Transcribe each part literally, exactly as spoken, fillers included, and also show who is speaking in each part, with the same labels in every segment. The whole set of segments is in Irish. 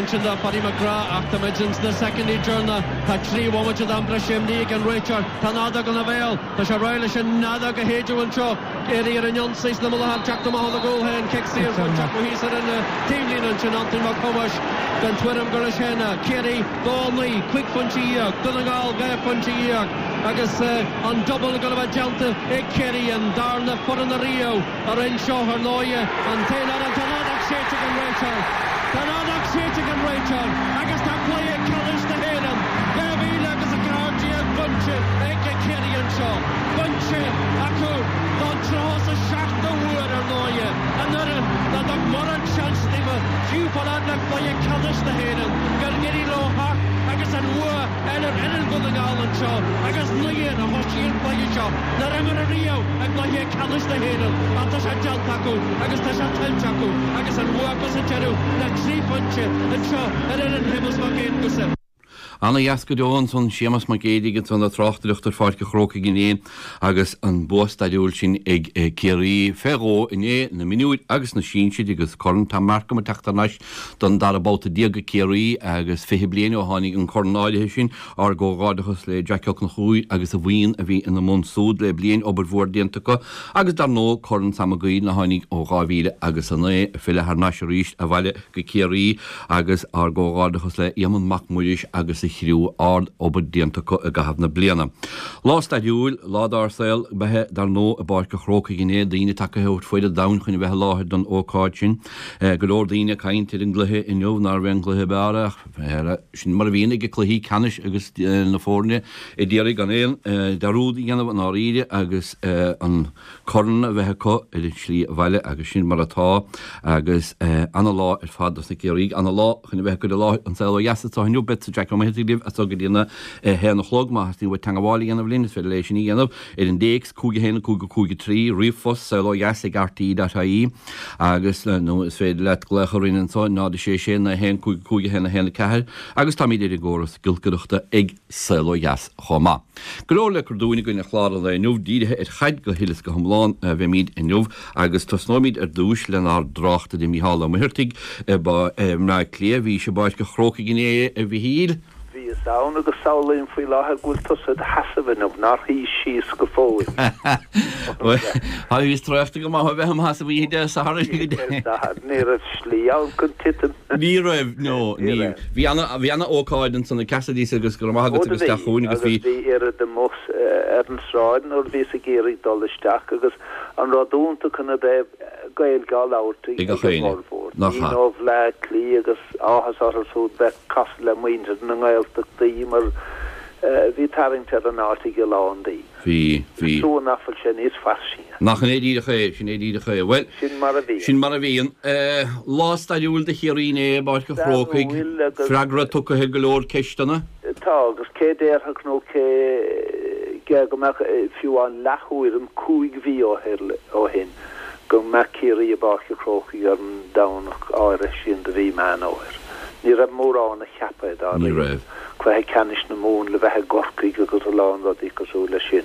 Speaker 1: ansin do Paddy McGrath ach tá muid ins na soicindí deireanacha tá trí bhomaite d'am breise imní ag an réiteoir tá an fheadóg ina bhéal Tá sé réidh leis an fheadóg a shéideadh anseo Ciarraí ar an ionsaí sna mullacha teacht amach óna gcúl féin cic saor thíos ar an taobhlíne ansin Antoin Mac Thomáis den tuairim gur sin Ciarraí dó naoi cúig phointe dhéag Dún na nGall dhá phointe dhéag agus an double go bheith déanta ag Ciarraí an darna foireann riamh a rinne seo ar ndóigh an t-aon tá an fheadóg séidte ag an réiteoir Tá an fheadóg séidte ag an réiteoir agus tá cluiche ceannais na hÉireann dhá mhíle agus a ceathair déag bainte ag Ciarraí anseo bainte acu don tríocha is a seachtú huair ar ndóigh an fhoireann nach dtug mórán seans daofa fiú fáil le cluiche ceannais na hÉireann gur éirigh leo theacht agus an bua eile ar fhoireann Dhún na nGall anseo agus naoi a thosaigh an cluiche seo nár imir riamh i gcluiche ceannais na hÉireann ach tá sé déanta acu agus tá sé tuillte acu agus an bua acu sa deireadh le trí phointe anseo ar fhoireann Shéamus Mac Aonghusa.
Speaker 2: Ana dheas go deo ansan Séamus Mac Géidigh ansan ag tráchtaireacht ar Pháirc an Chrócaigh inné agus an bua stairiúil sin ag Ciarraí fé dhó inné na mionúir agus na sinsir agus Corn Tom Markham ag teacht thar n-ais don dara babhta déag ag Ciarraí agus fiche bliain ó tháinig an corn áirithe sin ár gcomhghairdeachas le Jack Ó Conchúir agus a bhuíon a bhí ina mbun súd le bliain obair mhór déanta acu agus dar ndóigh Corn Sam Mac a tháinig ó dhá mhíle agus a naoi filleadh thar n-ais arís abhaile go Ciarraí agus ár gcomhghairdeachas le Éamonn Mac Muiris agus a chriú ard obair déanta acu i gcaitheamh na bliana. Lá stairiúil lá dár saol beithe dar ndóigh i bPáirc an Chrócaigh inné daoine tagtha ó fud an domhain chun a bheith i láthair don ócáid sin. Go leor daoine ag caint ar an gcluiche inniu nárbh é an cluiche b'fhearr ach sin mar a bhíonn ag cluichí ceannais agus na foirne ag iarraidh gan aon dearúd a dhéanamh an áiríre agus an corn a bheith acu ar an slí abhaile agus sin mar atá agus ana-lá ar fad dos na Ciarraígh ana-lá chun a bheith go lá an saol ó dheas atá inniu beidh Jack Ó Muircheartaigh libh as go dtí a haon a chlog má theastaíonn uait teagmháil a dhéanamh linn is féidir leis sin a dhéanamh ar an dtéacs cúig a haon cúig cúig a trí ríomhphost saol ó dheas ag RTÉ.ie agus nó is féidir leat glaoch orainn anseo náid sé sé naoi haon cúig cúig a haon a haon a ceathair agus táimid ar an gcóras giolcaireachta ag saol ó dheas chomh maith. Go leor le cur dúinn againn ar chlár an lae inniu dírithe ar chaid go huile is go hiomlán a bheimid inniu agus tosnóimid ar dtús lenár dtráchtaire Mícheál Ó Muircheartaigh i mBleá Cliath bhí sé i bPáirc an Chrócaigh inné a Mhichíl.
Speaker 3: Bhíos ann agus samhlaím faoi láthair go bhfuil tusa i do sheasamh inniu nár shuigh síos go fóill.
Speaker 2: Tá bhíos traochta go maith a bheith im sheasamh oíche Dé Sathairn.
Speaker 3: Ní raibh slí ann chun titim.
Speaker 2: Ní raibh no ní bhí ana bhí ana ócáid ansan i Cassidy's agus go raibh maith agat agus isteach chugainn agus
Speaker 3: bhí bhí oiread amuigh ar an sráid nuair bhíos ag iarraidh dul isteach agus an rud iontach ina dtaobh Gaeilge á labhairt ag an bhformhór. Daoine ó Bhleá Cliath agus áthas orthu siúd bheith casadh le muintir na nGaeltachtaí mar bhí tarraingt ar an áit ag a lán daoine.
Speaker 2: Bhí, bhí.
Speaker 3: Is trua nach bhfuil sé níos fairsinge.
Speaker 2: Nach in é díreach é, sin é díreach é. Bhuel,
Speaker 3: sin mar a bhíonn.
Speaker 2: Sin mar a bhíonn. Lá stairiúil do Chiarraí inné i bPáirc an Chrócaigh. Freagra tugtha ar go leor ceisteanna.
Speaker 3: Tá, agus cé déarfadh nó cé gé go mbeadh fiú an leath-thuairim cúig mhí ó shin go mbeadh Ciarraí i bPáirc an Chrócaigh ar an Domhnach áirithe sin de mhí Meán Fhómhair. Ní raibh mórán a cheap é
Speaker 2: Ní raibh.
Speaker 3: Cluiche ceannais na Mumhan le bheith i gCorcaigh agus a lán rudaí cosúil leis sin.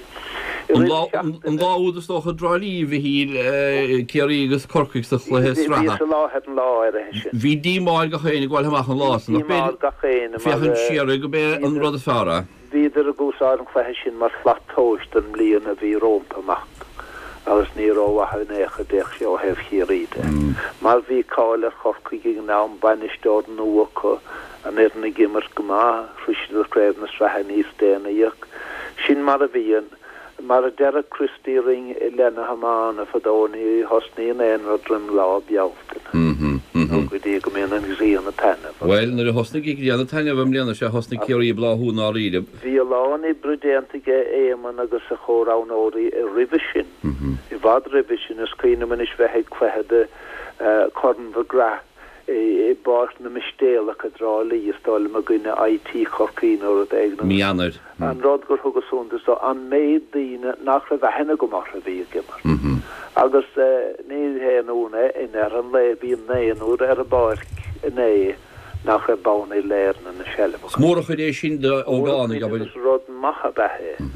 Speaker 2: An lá an lá úd is dócha i dTrá Lí a Mhichíl Ciarraí agus Corcaigh sa chluiche sraithe.
Speaker 3: Bhíos i láthair an lá áirithe sin.
Speaker 2: Bhí díomá ar gach éinne ag gabháil amach an lá san.
Speaker 3: Bhí díomá ar gach éinne mar.
Speaker 2: Féachaint siar air go b'é an rud is fearr é.
Speaker 3: Bhíodar ag úsáid an chluiche sin mar shlat tomhais don mbliain a bhí rómpa amach agus ní rómhaith in aon chor a d'fhéach sé ó thaobh Chiarraí de. Mar bhí cáil ar Chorcaigh ag an am, bainisteoir nua acu, an fhoireann ag imirt go maith, shroich siad craobh na sraithe níos déanaí ach sin mar a bhíonn. Mar a deireadh Christy Ring i leith na hiomána fadó, ní thosnaíonn aon rud roim Lá Bealtaine, nó go dtí go mbíonn an ghrian ag taitneamh.
Speaker 2: Bhuel, nuair a thosnaigh an ghrian ag taitneamh i mbliana, sea, thosnaigh Ciarraí ag bláthú i ndáiríre.
Speaker 3: Bhí a lán oibre déanta aige Éamonn agus a chomhroghnóirí roimhe sin, i bhfad roimhe sin. Is cuimhin liom anois bheith ag cluiche de Chorn McGrath i bPáirc na Mistéalach i dTrá Lí, is dóigh liom i gcoinne IT Chorcaí nó rud éigin.
Speaker 2: Mí Eanáir.
Speaker 3: An rud gur thugas suntas dó, an méid daoine nach raibh aithne agam orthu a bhí ag imirt. Agus ní haon ionadh é, in ar an lae bhí naonúr ar an bpáirc inné nach raibh bonn uile-Éireann ina seilbh
Speaker 2: acu. Is mór an chuid é sin d'ógánaigh, abair.
Speaker 3: Is rud maith ab ea é,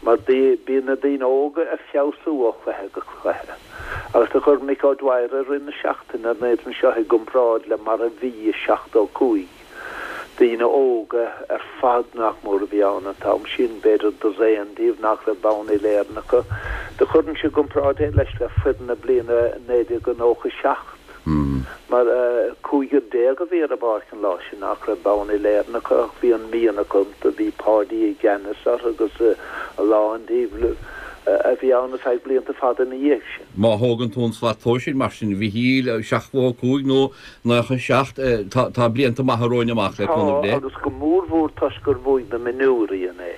Speaker 3: mar bíonn na daoine óga ag feabhsú ó chluiche go cluiche. Agus do chuir Mick O'Dwyer i rith na seachtaine an fhoireann seo i gcomparáid le mar a bhí i seachtó cúig. Daoine óga ar fad nach mór a bhí ann an t-am sin, b'fhéidir dosaen díobh nach raibh bonn uile-Éireann acu. Do chuirinnse i gcomparáid é leis le foireann na bliana naoi déag nócha seacht. Mar cúigear déag a bhí ar an bpáirc an lá sin nach raibh bonn uile-Éireann acu ach bhí an mianach iontu, bhí Páidí i gceannas orthu agus a lán díobh a bhí ann ar feadh blianta fada ina dhiaidh sin.
Speaker 2: Má thógann tú an slat tomhais mar sin, a Mhichíl, seachtó cúig nó nócha seacht, tá blianta maithe romhainn amach le cúnamh
Speaker 3: Tá,
Speaker 2: Dé.
Speaker 3: agus go mórmhór toisc gur bhuaigh na mionúirí inné.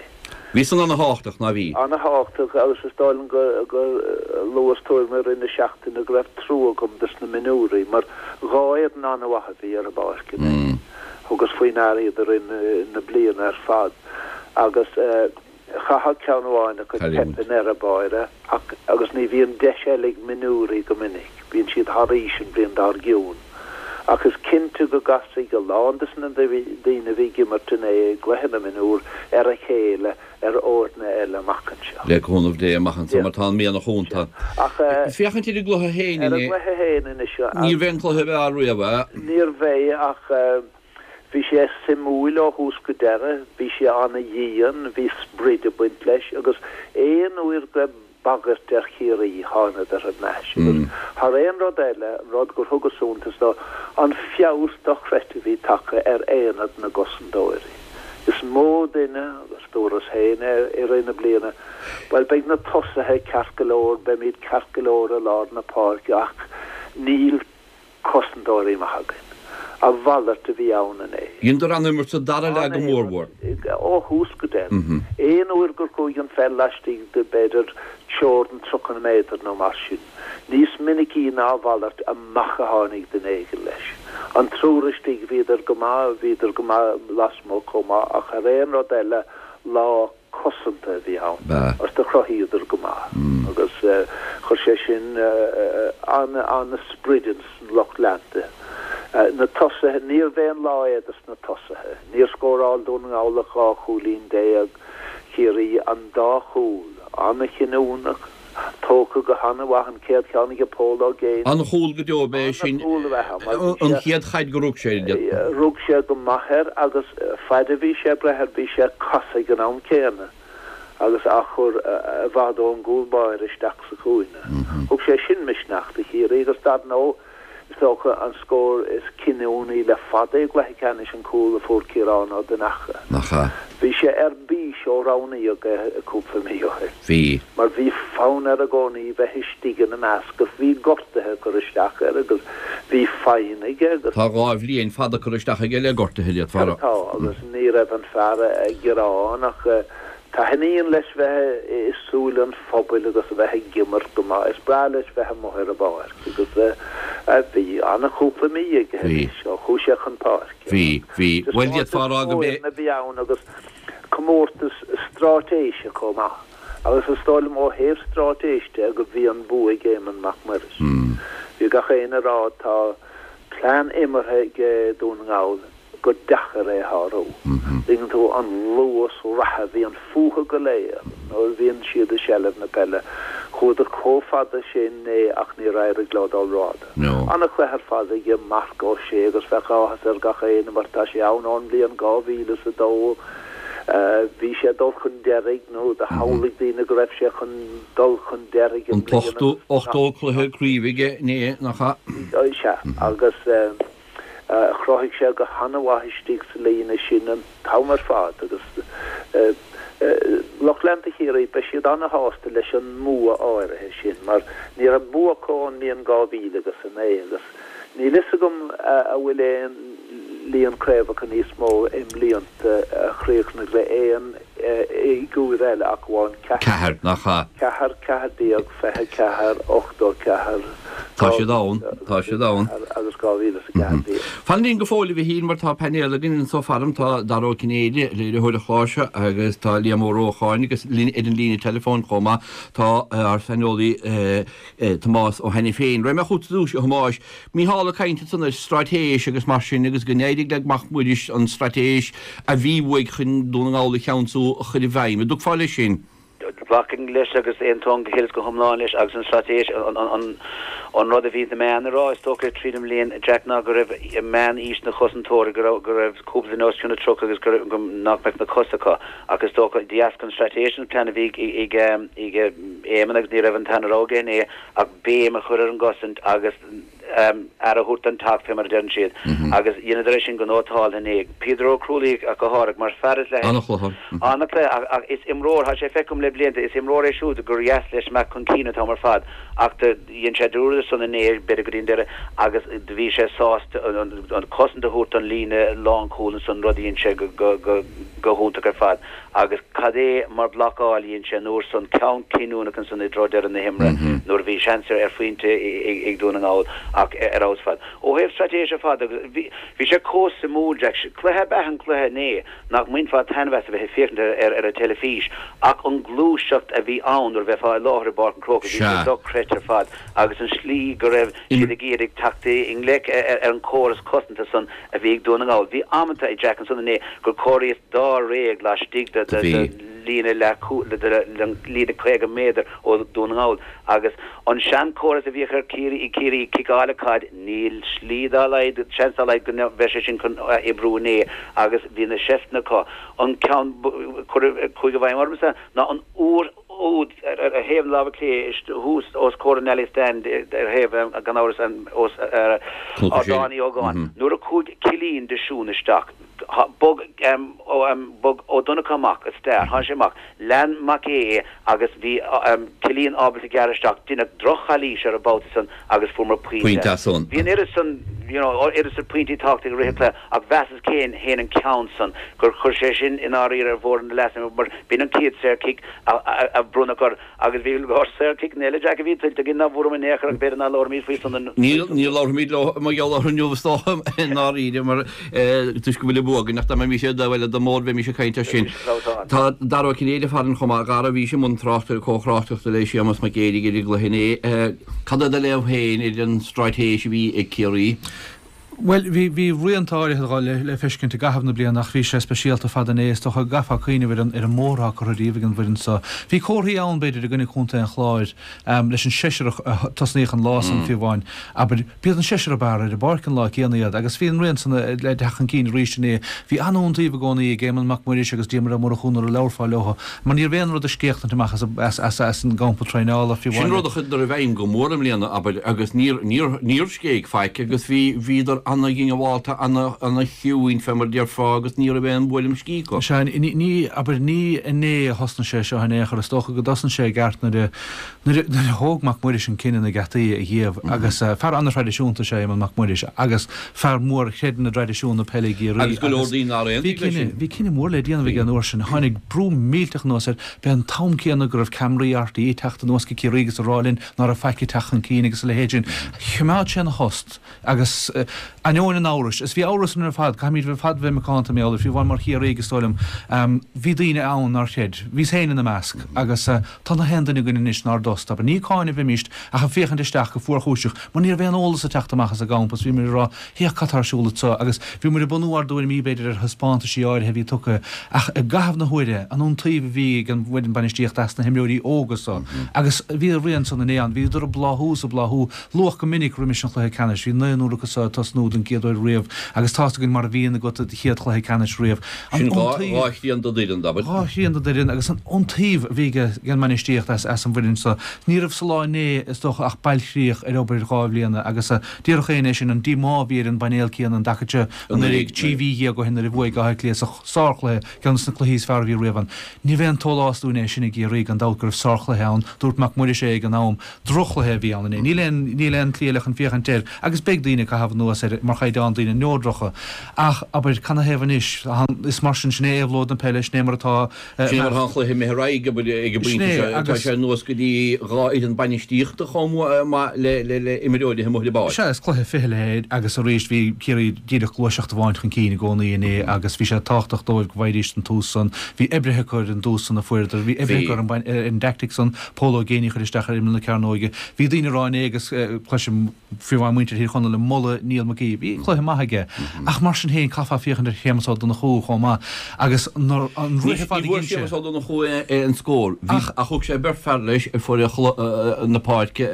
Speaker 2: Bhí san ana-thábhachtach, ná bhí?
Speaker 3: Ana-thábhachtach, agus is dóigh liom gur luas tuairim i rith na seachtaine go raibh trua agam dos na mionúirí, mar dhá fhoireann an-mhaith a bhí ar an bpáirc inné. Thugas faoi ndeara iad i rith na bliana ar fad, agus chaithfeadh ceann amháin acu teip i ndeireadh báire, ach agus ní bhíonn deis eile ag mionúirí go minic, bíonn siad thar aois an bhliain dár gcionn. Ach is cinnte go gcasfaidh a lán de na daoine a bhí ag imirt inné i gcluiche na mionúr ar a chéile ar fhoirne eile amach anseo.
Speaker 2: Le cúnamh Dé amach anseo mar tá an mianach iontu.
Speaker 3: Ach
Speaker 2: Féachaint ar an gcluiche féin
Speaker 3: ar an
Speaker 2: inné.
Speaker 3: gcluiche féin anois.
Speaker 2: Níorbh é an cluiche ab fhearr riamh é.
Speaker 3: Níorbh é ach bhí sé suimiúil ó thús go deireadh, bhí sé ana-dhian, bhí sprid ag baint leis agus aon uair go raibh bagairt ar Chiarraí thánadar thar n-ais. Agus thar aon rud eile, an rud gur thugas suntas dó, an feabhas dochreidte a bhí tagtha ar aonad na gcosantóirí. Is mó duine, agus dúras féin é i rith na bliana, bhuel beidh na tosaithe ceart go leor, beimid ceart go leor i lár na páirce ach níl cosantóirí maith againn. A mhalairt a bhí ann inné.
Speaker 2: Dheineadar an-imirt sa dara leath go mórmhór.
Speaker 3: Ó thús go deireadh. Aon uair gur chuaigh an pheil laistigh de b'fhéidir teorainn tríocha méadar nó mar sin. Níos minicí ná a mhalairt amach a tháinig duine éigin leis. An triúr istigh bhíodar go maith, bhíodar go maith lasmuigh chomh maith ach thar aon rud eile lá cosanta a bhí ann. Agus do chruthaíodar go maith. Agus chuir sé sin an-sprid ins an lucht leanta. Na tosaithe, níorbh aon lá é dos na tosaithe. Níor scóráil Dún na nGall ach dhá chúilín déag, Ciarraí an dá chúl, an-chinniúnach, tógtha go han-mhaith an chéad cheann ag Pól Ó Géin.
Speaker 2: An-chúl go deo ab ea é sin, an chéad chaid gur rug sé air.
Speaker 3: Rug sé go maith air agus faid a bhí sé ag breith air bhí sé ag casadh ag an am céanna agus á chur i bhfad ón gcúl báire isteach sa chúinne. Thug sé sin misneach do Chiarraí agus dar ndóigh is dócha an scór is cinniúnaí le fada i gcluiche ceannais an cúl a fuair Ciarán Ó Donnacha.
Speaker 2: Nach ea?
Speaker 3: Bhí sé ar bís ó roghnaíodh é cúpla mí ó shin.
Speaker 2: Bhí.
Speaker 3: Mar bhí fonn air i gcónaí bheith istigh ina measc agus bhí gortuithe ag cur isteach air agus bhí foighne aige agus.
Speaker 2: Tá dhá bhliain fada curtha isteach aige le gortuithe, d'fhéadfá a rá.
Speaker 3: Tá, agus ní raibh an fear ag gearán ach taitníonn leis bheith i súile an phobail agus a bheith ag imirt go maith. Is breá leis bheith amuigh ar an bpáirc agus bhí an-chúpla mí aige anois ó chuaigh sé chun páirce.
Speaker 2: Bhí, bhí. Bhuel, d'fhéadfá a rá go mb'é.
Speaker 3: a bhí ann agus comórtas straitéise chomh maith. Agus is dóigh liom ó thaobh straitéis de go bhí an bua ag Éamonn Mac Muiris. Bhí gach éinne ag rá tá plean imeartha ag Dún na nGall gur deacair é a shárú. Tuigeann tú an luas reatha a bhíonn fúthu go léir nuair a bhíonn siad i seilbh na peile. Chuadar chomh fada sin inné ach níor éirigh leo dul rófhada. An-chluiche ar fad aige Marc Ó Sé agus bheadh áthas ar gach éinne mar tá sé ann ón mbliain dhá mhíle is a dó. Bhí sé ag dul chun deiridh nó do shamhlaigh daoine go raibh sé chun dul chun deiridh i
Speaker 2: An
Speaker 3: mbliana.
Speaker 2: t-ochtó ochtó cluiche craoibhe aige inné, nach ea?
Speaker 3: Sea, agus Chruthaigh sé go han-mhaith istigh sa líne sin an t-am ar fad agus lucht leanta Chiarraí, beidh siad an-shásta leis an mbua áirithe sin mar ní raibh bua acu ón mbliain dhá mhíle agus a naoi agus níl fhios agam a bhfuil aon líon craobhacha níos mó i mblianta a chríochnaigh le aon fhigiúr eile ach amháin ceathair.
Speaker 2: Ceathair, nach ea?
Speaker 3: Ceathair, ceathair déag, fiche ceathair, ochtó ceathair,
Speaker 2: Tá siad ann, tá siad ann.
Speaker 3: agus dhá mhíle is a ceathair déag.
Speaker 2: Fan linn go fóill, a Mhichíl, mar tá painéal againn anso faram, tá Dara Ó Cinnéide, léiritheoir an chláir seo, agus tá Liam Ó Rócháin agus linn ar an líne teileafóin chomh maith tá ár saineolaí Tomás Ó hAiniféin. Raghaidh mé chugat ar dtús, a Thomáis. Mícheál ag caint ansan ar straitéis agus mar sin agus go n-éirigh le Mac Muiris an straitéis a bhí uaidh chun Dún na nGall a cheansú a chur i bhfeidhm. An dtiocfá leis sin?
Speaker 4: Glacaim leis agus aontaím go huile is go hiomlán leis agus an straitéis an an an rud a bhí na meáin a rá is dócha tríd an mbliain Jack ná go raibh meán-aois na chosantóirí go raibh go raibh cúpla duine os cionn na tríocha agus go go nach mbeadh na cosa acu ach is dócha de dheasca an straitéis an plean a bhí ag ag Éamonn agus ní raibh an t-aon rogha aige ach béim a chur ar an gcosaint agus aire a thabhairt don teach fé mar a deireann siad agus dheineadar é sin go nótálta inné. Peadar Ó Crualaoich ach go háirithe mar fear is le
Speaker 2: An-chluiche.
Speaker 4: An-chluiche ach ach is imreoir, tá sé feicthe agam le blianta, is imreoir é siúd gur dheas leis imeacht chun cinn an t-am ar fad ach do dhein sé dearúd ar san inné b'fhéidir go dtí an deireadh agus do bhí sé sásta an an cosaint a thabhairt don líne lánchúil ansan rud a dhein sé go go go go hiontach ar fad agus cad é mar blocáil a dhein sé an uair san ceann cinniúnach ansan i dtreo deireadh na himeartha nuair a bhí seans ar phointe ag Dún na nGall ach ar fheabhas fad. Ó thaobh straitéise ar fad agus bhí bhí sé chomh suimiúil Jack cluiche ab ea an cluiche inné nach mbainfeá taitneamh as a bheith ag féachaint ar ar an teilifís ach an ghluaiseacht a bhí ann nuair a bheifeá i láthair i bPáirc an Chrócaigh bhí sé dochreidte ar fad agus an slí go raibh siad ag iarraidh teacht i ngleic ar an chóras cosanta san a bhí ag Dún na nGall. Bhí amanta ag Jack ansan inné gur chóiríos dáréag laistigh de de líne líne caoga méadar ó Dún na nGall agus an seanchóras a bhíodh ar Ciarraí ag Ciarraí ciceáil an chaid níl slí dá laghad seans dá laghad go mbeidh sé sin chun oibriú inné agus bhí na seifteanna acu. An ceann chuaigh i bhfeidhm ormsa ná an uair úd ar ar thaobh na láimhe clé thuas os comhair an Alley Stand ar thaobh gan amhras an os Ardán Uí Ógáin nuair a chuaigh Cillian de Siún isteach bhog bhog Ó Donnchadha amach isteach tháinig sé amach lean Mac Aodha é agus bhí Cillian ábalta gearradh isteach deineadh droch-chalaois ar an babhta san agus fuaireamar pointe.
Speaker 2: Pointe san.
Speaker 4: Bhí an oiread san you know oiread san pointí tábhachtacha i rith an chluiche ach mheasas féin féin an ceann san gur chuir sé sin i ndáiríre ar mhórán na leaids mar b'in an chéad saorchic a bronnadh orthu agus bhí go leor saorchiceanna eile Jack a bhí tuillte againn nach bhfuaireamar in aon chor ach b'fhéidir nach labhróimid faoi san an
Speaker 2: Níl níl labhróimid leo mar gheall orthu inniu is dócha i ndáiríre mar toisc go bhfuil an bua againn ach dá mbeimis ar an dtaobh eile de mór bheimis ag caint air sin. Tá Dara Ó Cinnéide farainn chomh maith, a Dhara, bhís i mbun tráchtaire comhthráchtaireachta le Séamus Mac Géidigh ar an gcluiche inné. Cad é do léamh féin ar an straitéis a bhí ag Ciarraí?
Speaker 5: Bhuel, bhí bhí rianta áirithe le le feiscint i gcaitheamh na bliana ach bhí sé speisialta fad inné is dócha go gcaithfeá cuimhneamh ar an ar an mbóthar atá curtha díobh ag an bhfoireann seo. Bhí comharthaí ann b'fhéidir i gcoinne Chontae an Chláir um, leis an seisear a tosnaíodh an lá san fiú amháin. Abair, b'iad an seisear ab fhearr ar an bpáirc an lá céanna iad agus bhí an rian san le teacht chun cinn arís inné. Bhí an-iontaoibh i gcónaí ag Éamonn Mac Muiris agus Diarmuid Ó Murchú nuair a labharfá leo, mar ní raibh aon rud ag scéachtaint amach as, as, as, as an gcampa traenála fiú
Speaker 2: Sin
Speaker 5: amháin.
Speaker 2: rud a chuireadar i bhfeidhm go mór i mbliana abair agus níor níor níor scéig faic agus bhí bhíodar ana-ghineabhálta ana-chiúin fé mar déarfá agus ní raibh aon bhuaileam scíth acu.
Speaker 5: Sea, ní ní abair ní inné a thosnaigh sé seo in aon chor is dócha go dtosnaigh sé i gceart nuair a nuair a nuair a thóg Mac Muiris an cinneadh na geataí a dhíobh agus uh, fear an-thraidisiúnta sé Éamonn Mac Muiris agus fear mór a chreideann i dtraidisiún na peile i gCiarraí
Speaker 2: Agus go leor daoine nár
Speaker 5: bhí
Speaker 2: aontaigh leis
Speaker 5: cinneadh
Speaker 2: sin.
Speaker 5: bhí cinneadh mór le déanamh aige an uair sin tháinig brú millteach anuas air b'é an t-am céanna go raibh ceamaraí R T É teacht anuas go Ciarraí agus a rá linn ná raibh faic ag teacht chun cinn agus a leithéid sin. Choimeád sé ina thost agus uh, ainneoin an amhrais is bhí amhras ar fad caithfimid bheith fad bheith macánta méala fiú amháin mar Chiarraí agus dólim um, bhí daoine ann nár chreid bhíos féin ina measc agus uh, tá na haon duine againn anois nár dtost aber ní cáineadh bhímist ach ag féachaint isteach go fuarchúiseach mar ní raibh aon eolas ag teacht amach as an gcampa bhí muid ag rá féach cad tá ar siúl anseo agus bhí muid ag bunú ár dtuairimí b'fhéidir ar thaispeántaisí áirithe a bhí tugtha ach i gcaitheamh na huaire an iontaoibh a bhí ag an bhfoireann bainistíochta as na himreoirí óga so agus bhí a rian san inné ann bhíodar ag bláthú is ag bláthú luach go minic roimis an chluiche ceannais bhí naonúr acu so ag tosnú den gcéad uair riamh agus tá againn mar a bhíonn agat do chéad chluiche ceannais riamh. An
Speaker 2: Sin dhá
Speaker 5: iontaoibh-
Speaker 2: dhá thrian den fhoireann abair.
Speaker 5: Dhá thrian den fhoireann agus an iontaoibh a bhí ag an mbainistíocht as as an bhfoireann so. Ní raibh sa lá inné is dócha ach bailchríoch ar obair dhá bhliana agus uh, déarfadh éinne sin an díomá a bhí ar an bpainéal céanna an dtaca seo anuraidh trí mhí dhéag ó shin nuair a bhuaigh Áth Cliath sa sárchluiche ceann de na cluichí is fearr a bhí riamh ann. Ní bheidh an t-eolas dúinn é sin i gCiarraí gan dabht go raibh sárchluiche ann, dúirt Mac Muiris é ag an am drochchluiche a bhí ann inné. Níl aon níl aon tslí eile chun féachaint air agus beidh daoine ag caitheamh anuas air mar chaighdeán daoine neodracha. Ach abair canathaobh anois is mar sin sin é éabhlóid na peile sin é mar atá eh,
Speaker 2: Sin mar an chluiche imithe ar aghaidh ag an bpointe
Speaker 5: Sin é,
Speaker 2: seo, tá
Speaker 5: agus-
Speaker 2: sé anuas go dtí dhá fhoireann bainistíochta chomh maith le le le imreoirí amuigh ar an bpáirc.
Speaker 5: Sea is cluiche fichille é agus arís bhí Ciarraí díreach gluaiseacht amháin chun cinn i gcónaí inné agus bhí sé tábhachtach dóibh go bhfaighidís an tús san bhí oibrithe acu ar an dtús san a fuaireadar bhí oibrithe
Speaker 2: Bhí.
Speaker 5: acu ar an bain- ar an dtactic san Pól Ó Géibheannaigh chuir isteach ar imeall na cearnóige bhí daoine ag rá inné agus eh, cloisim fiú amháin muintir Thír Chonaill ag moladh Neil McGee imrithe, bhí cluiche maith aige. Ach mar sin féin, caithfeá féachaint ar Shéamus Ó Donnchú chomh maith agus nuair an rith ar fad a
Speaker 2: Ní bhfuair
Speaker 5: dhein sé.
Speaker 2: Séamus Ó Donnchú an scór, bhí, ach thug sé beirt fear leis ar fud na páirce i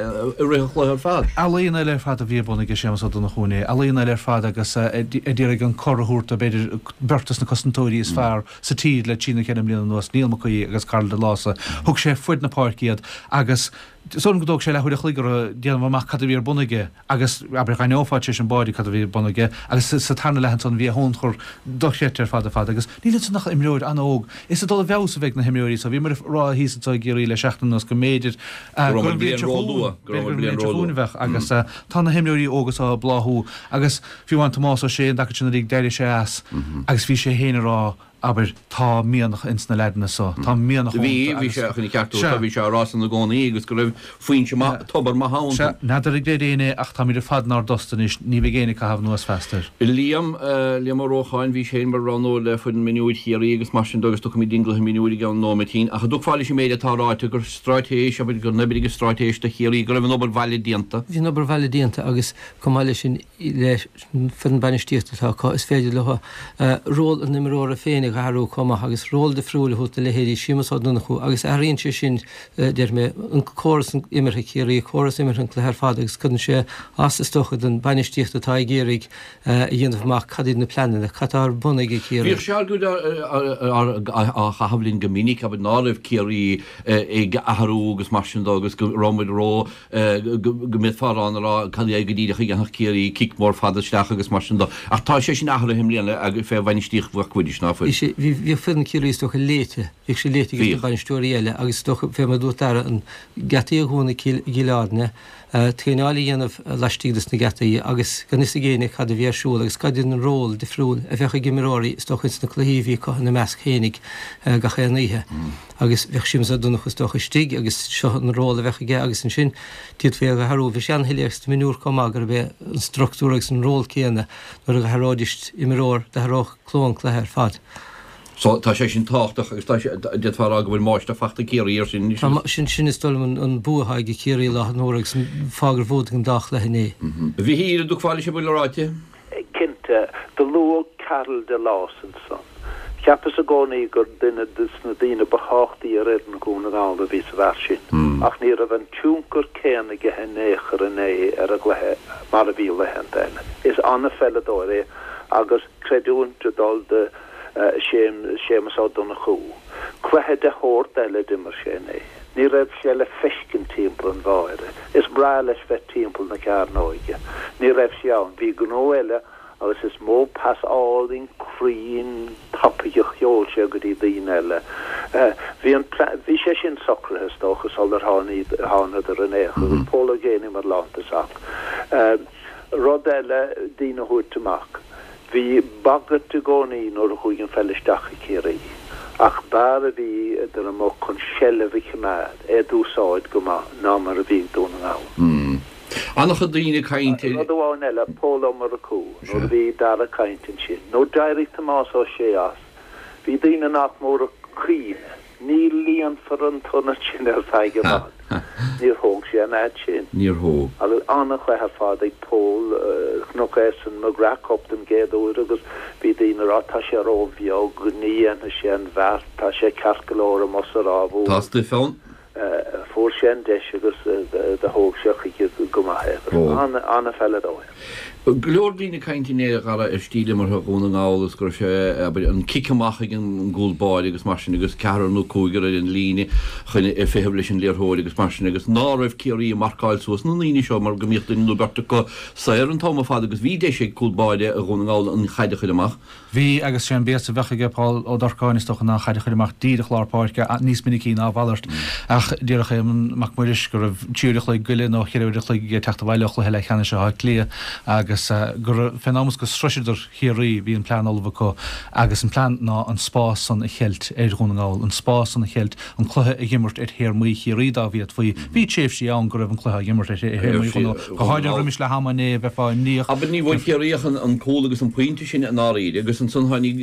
Speaker 2: rith an chluiche ar fad.
Speaker 5: Ealaíon eile ar fad a bhí ar bun aige Séamus Ó Donnchú inné, ealaíon eile ar fad agus ag iarraidh an cor a thabhairt do b'fhéidir beirt des na cosantóirí is fearr sa tír le trí nó ceithre mbliana anuas, Neil McCoy agus Karl Delosa. Thug sé fud na páirce iad agus is dóigh liom go dtóg sé leathuair a chloig orthu déanamh amach cad a bhí ar bun aige agus abair d'aithneofá tar éis an bháide cad a bhí ar bun aige agus sa tarna leath ansan bhí a thionchar dochreidte ar fad ar fad agus níl ansan ach imreoir an-óg. Is ag dul i bhfeabhas a bheidh na himreoirí so. Bhíomar ag rá thíos anseo i gCiarraí le seachtain anuas go mb'fhéidir
Speaker 2: Go raibh
Speaker 5: gur
Speaker 2: an
Speaker 5: an bhliain
Speaker 2: bhliain
Speaker 5: seo chugainn,
Speaker 2: róluath, go raibh
Speaker 5: b'fhéidir
Speaker 2: an
Speaker 5: gur an
Speaker 2: bhliain
Speaker 5: bhliain seo chugainn
Speaker 2: róluath.
Speaker 5: a bheadh agus tá na himreoirí óga seo ag bláthú agus fiú amháin Tomás Ó Sé an dtaca sin uilig d'éirigh sé as agus bhí sé féin ag rá abair, tá mianach ins na leaideanna so, tá mianach
Speaker 2: Bhí,
Speaker 5: iontu
Speaker 2: bhí
Speaker 5: agus
Speaker 2: sé chun ceartú,
Speaker 5: Sea.
Speaker 2: bhí sé á rá san i gcónaí agus go raibh foinse maith, tobar maith ann.
Speaker 5: Sea, n'fheadar ag léir éinne ach táimid ar fad inár dtost anois, ní bheidh éinne ag caitheamh anuas feasta air.
Speaker 2: Liam, Liam Ó Rócháin, bhí sé mar roghnóir le foireann mionúir Chiarraí agus mar sin de agus tiocfaimid dtí'n gcluiche mionúir i gceann nóiméitín. Ach an dtiocfá leis an méid atá ráite gur straitéis, abair, gur oibrigh an straitéis do Chiarraí, go raibh an obair bhaile déanta.
Speaker 6: Bhí an obair bhaile déanta agus chomh maith leis sin le foireann bainistíochta atá acu, is féidir leo ról an imreora féin a athrú chomh maith agus ról difriúil a thabhairt do leithéidí Séamus Ó Donnchú agus athraíonn sé sin, deir mé, an córas imeartha Ciarraí, córas imeartha an cluiche ar fad agus cuireann sé as is dócha don bainistíocht atá ag iarraidh a dhéanamh amach cad iad na pleananna, cad atá ar bun ag Ciarraí.
Speaker 2: Bhíodh sé á chaitheamh linn go minic abair ná raibh Ciarraí ag athrú agus mar sin de agus go raibh muid ró go mb'fhearr ann a rá cad é go díreach a dhéanfadh Ciarraí cic mór fada isteach agus mar sin de. Ach tá sé sin athraithe i mbliana agus fé bhainistíocht Mhac Mhuiris, ná fuil?
Speaker 6: Bhí sé, bhí, bhíodh foireann Ciarraí is dócha léite, bhíodh sé léite ag na
Speaker 2: Bhíodh.
Speaker 6: bainisteoirí eile agus is dócha fé mar a dúirt Dara an geataí a dhúnadh i gCill Airne, traenáil a dhéanamh laistigh des na geataí agus gan fhios ag éinne cad a bhí ar siúl agus cad iad an ról difriúil a bheadh ag imreoirí is dócha ins na cluichí a bhí acu ina measc féinig gach aon oíche. Agus bheadh Séamus Ó Donnchú is dócha istigh agus seo an ról a bheadh aige agus ansin d'fhéadfaí é a athrú. Bhí sé an-shoiléir sna mionúir chomh maith gurb é an struchtúr agus an ról céanna nuair a athróidís imreoir d'athródh cló an cluiche ar fad.
Speaker 2: So tá sé sin tábhachtach agus tá sé d'fhéadfá a rá go bhfuil máiste fachta Ciarraí ar sin.
Speaker 6: Tá sin sin is dóigh liom an, an bua atá ag Ciarraí lá an uair agus an fáth gur bhuaigh an dá chluiche inné.
Speaker 2: A Mhichíl, an dtiocfá leis an bhfuil ráite?
Speaker 3: Cinnte, do luadh Karl Delas ansan. Cheapas i gcónaí gur duine des na daoine ba thábhachtaí ar fhoireann Dhún na nGall a bhí sa bhfear sin. Ach ní raibh an tionchar céanna aige in aon chor inné ar an gcluiche mar a bhí laethanta eile. Is an-pheileadóir é agus creidiúint ag dul do Séamus Ó Donnchú. Cluiche de shórt eile d'imir sé inné. Ní raibh sé le feiscint timpeall an bháire. Is breá leis bheith timpeall na cearnóige. Ní raibh sé ann. Bhí gnó eile agus is mó pas álainn cruinn tapaidh a sheol sé go dtí daoine eile. Bhí an bhí sé sin socraithe is dócha sular thánadar in aon chor agus Pól Ó Géibheannaigh mar lántosach. Rud eile daoine a thabhairt amach. Bhí bagairt i gcónaí nuair a chuaigh an pheil isteach i Ciarraí, ach b'fhearr a bhí idir amuigh chun seilbh a choimeád, é d'úsáid go maith ná mar a bhí ag Dún na nGall.
Speaker 2: An-chuid daoine ag caint ar.
Speaker 3: Rud amháin eile, Pól Ó Murchú, nuair a bhí Dara ag caint ansin, nuair d'éirigh Tomás Ó Sé as, bhí daoine nach mór ag caoineadh, ní líonfar an t-ionad sin ar feadh i bhfad. Níor thóg sé an fhad sin.
Speaker 2: Níor thóg.
Speaker 3: Agus an-chluiche ar fad ag Pól, chonac é san McGrath Cup den gcéad uair agus bhí daoine ag rá tá sé róbheag, ní dhéanfaidh sé an bheart, tá sé ceart go leor amuigh sa Ráth Mhór.
Speaker 2: Tá stuif ann.
Speaker 3: Fuair sé an deis agus do thóg sé chuige go maith é. Agus an-pheileadóir.
Speaker 2: Go leor daoine ag caint inné, a Dhara, ar stíl imeartha Dhún na nGall agus go raibh sé, abair, an cic amach ag an gcúl báire agus mar sin agus ceathrar nó cúigear ar an líne chun feitheamh leis an liathróid agus mar sin agus ná raibh Ciarraí ag marcáil suas na ndaoine seo mar go mbíodh duine nó beirt acu saor an t-am ar fad agus bhí deis ag cúl báire Dhún na nGall an chaid a chur amach.
Speaker 5: Bhí agus sé an béas a bheadh aige Paul Ó Dorcáin is dócha ná an chaid a chur amach díreach lár páirce níos minicí ná a mhalairt. Ach déarfadh Éamonn Mac Muiris go raibh trí uair a chloig goile nó cheithre uair a chloig aige teacht abhaile ó chluiche leathcheannais Átha Cliath agus go raibh fén am is go sroiseadar Chiarraí bhí an plean ullamh acu agus an plean ná an spás san a cheilt ar Dhún na nGall, an spás san a cheilt, an cluiche a dh'imirt ar théarmaí Chiarraí dá bhféadfaí. Bhí tréimhsí ann go raibh an cluiche á dh'imirt ar théarmaí Dhún na nGall, go háirithe roimis leath ama inné bheifeá imníoch.
Speaker 2: Abair ní bhfuair Ciarraí ach an cúl agus an pointe sin i ndáiríre agus ansan tháinig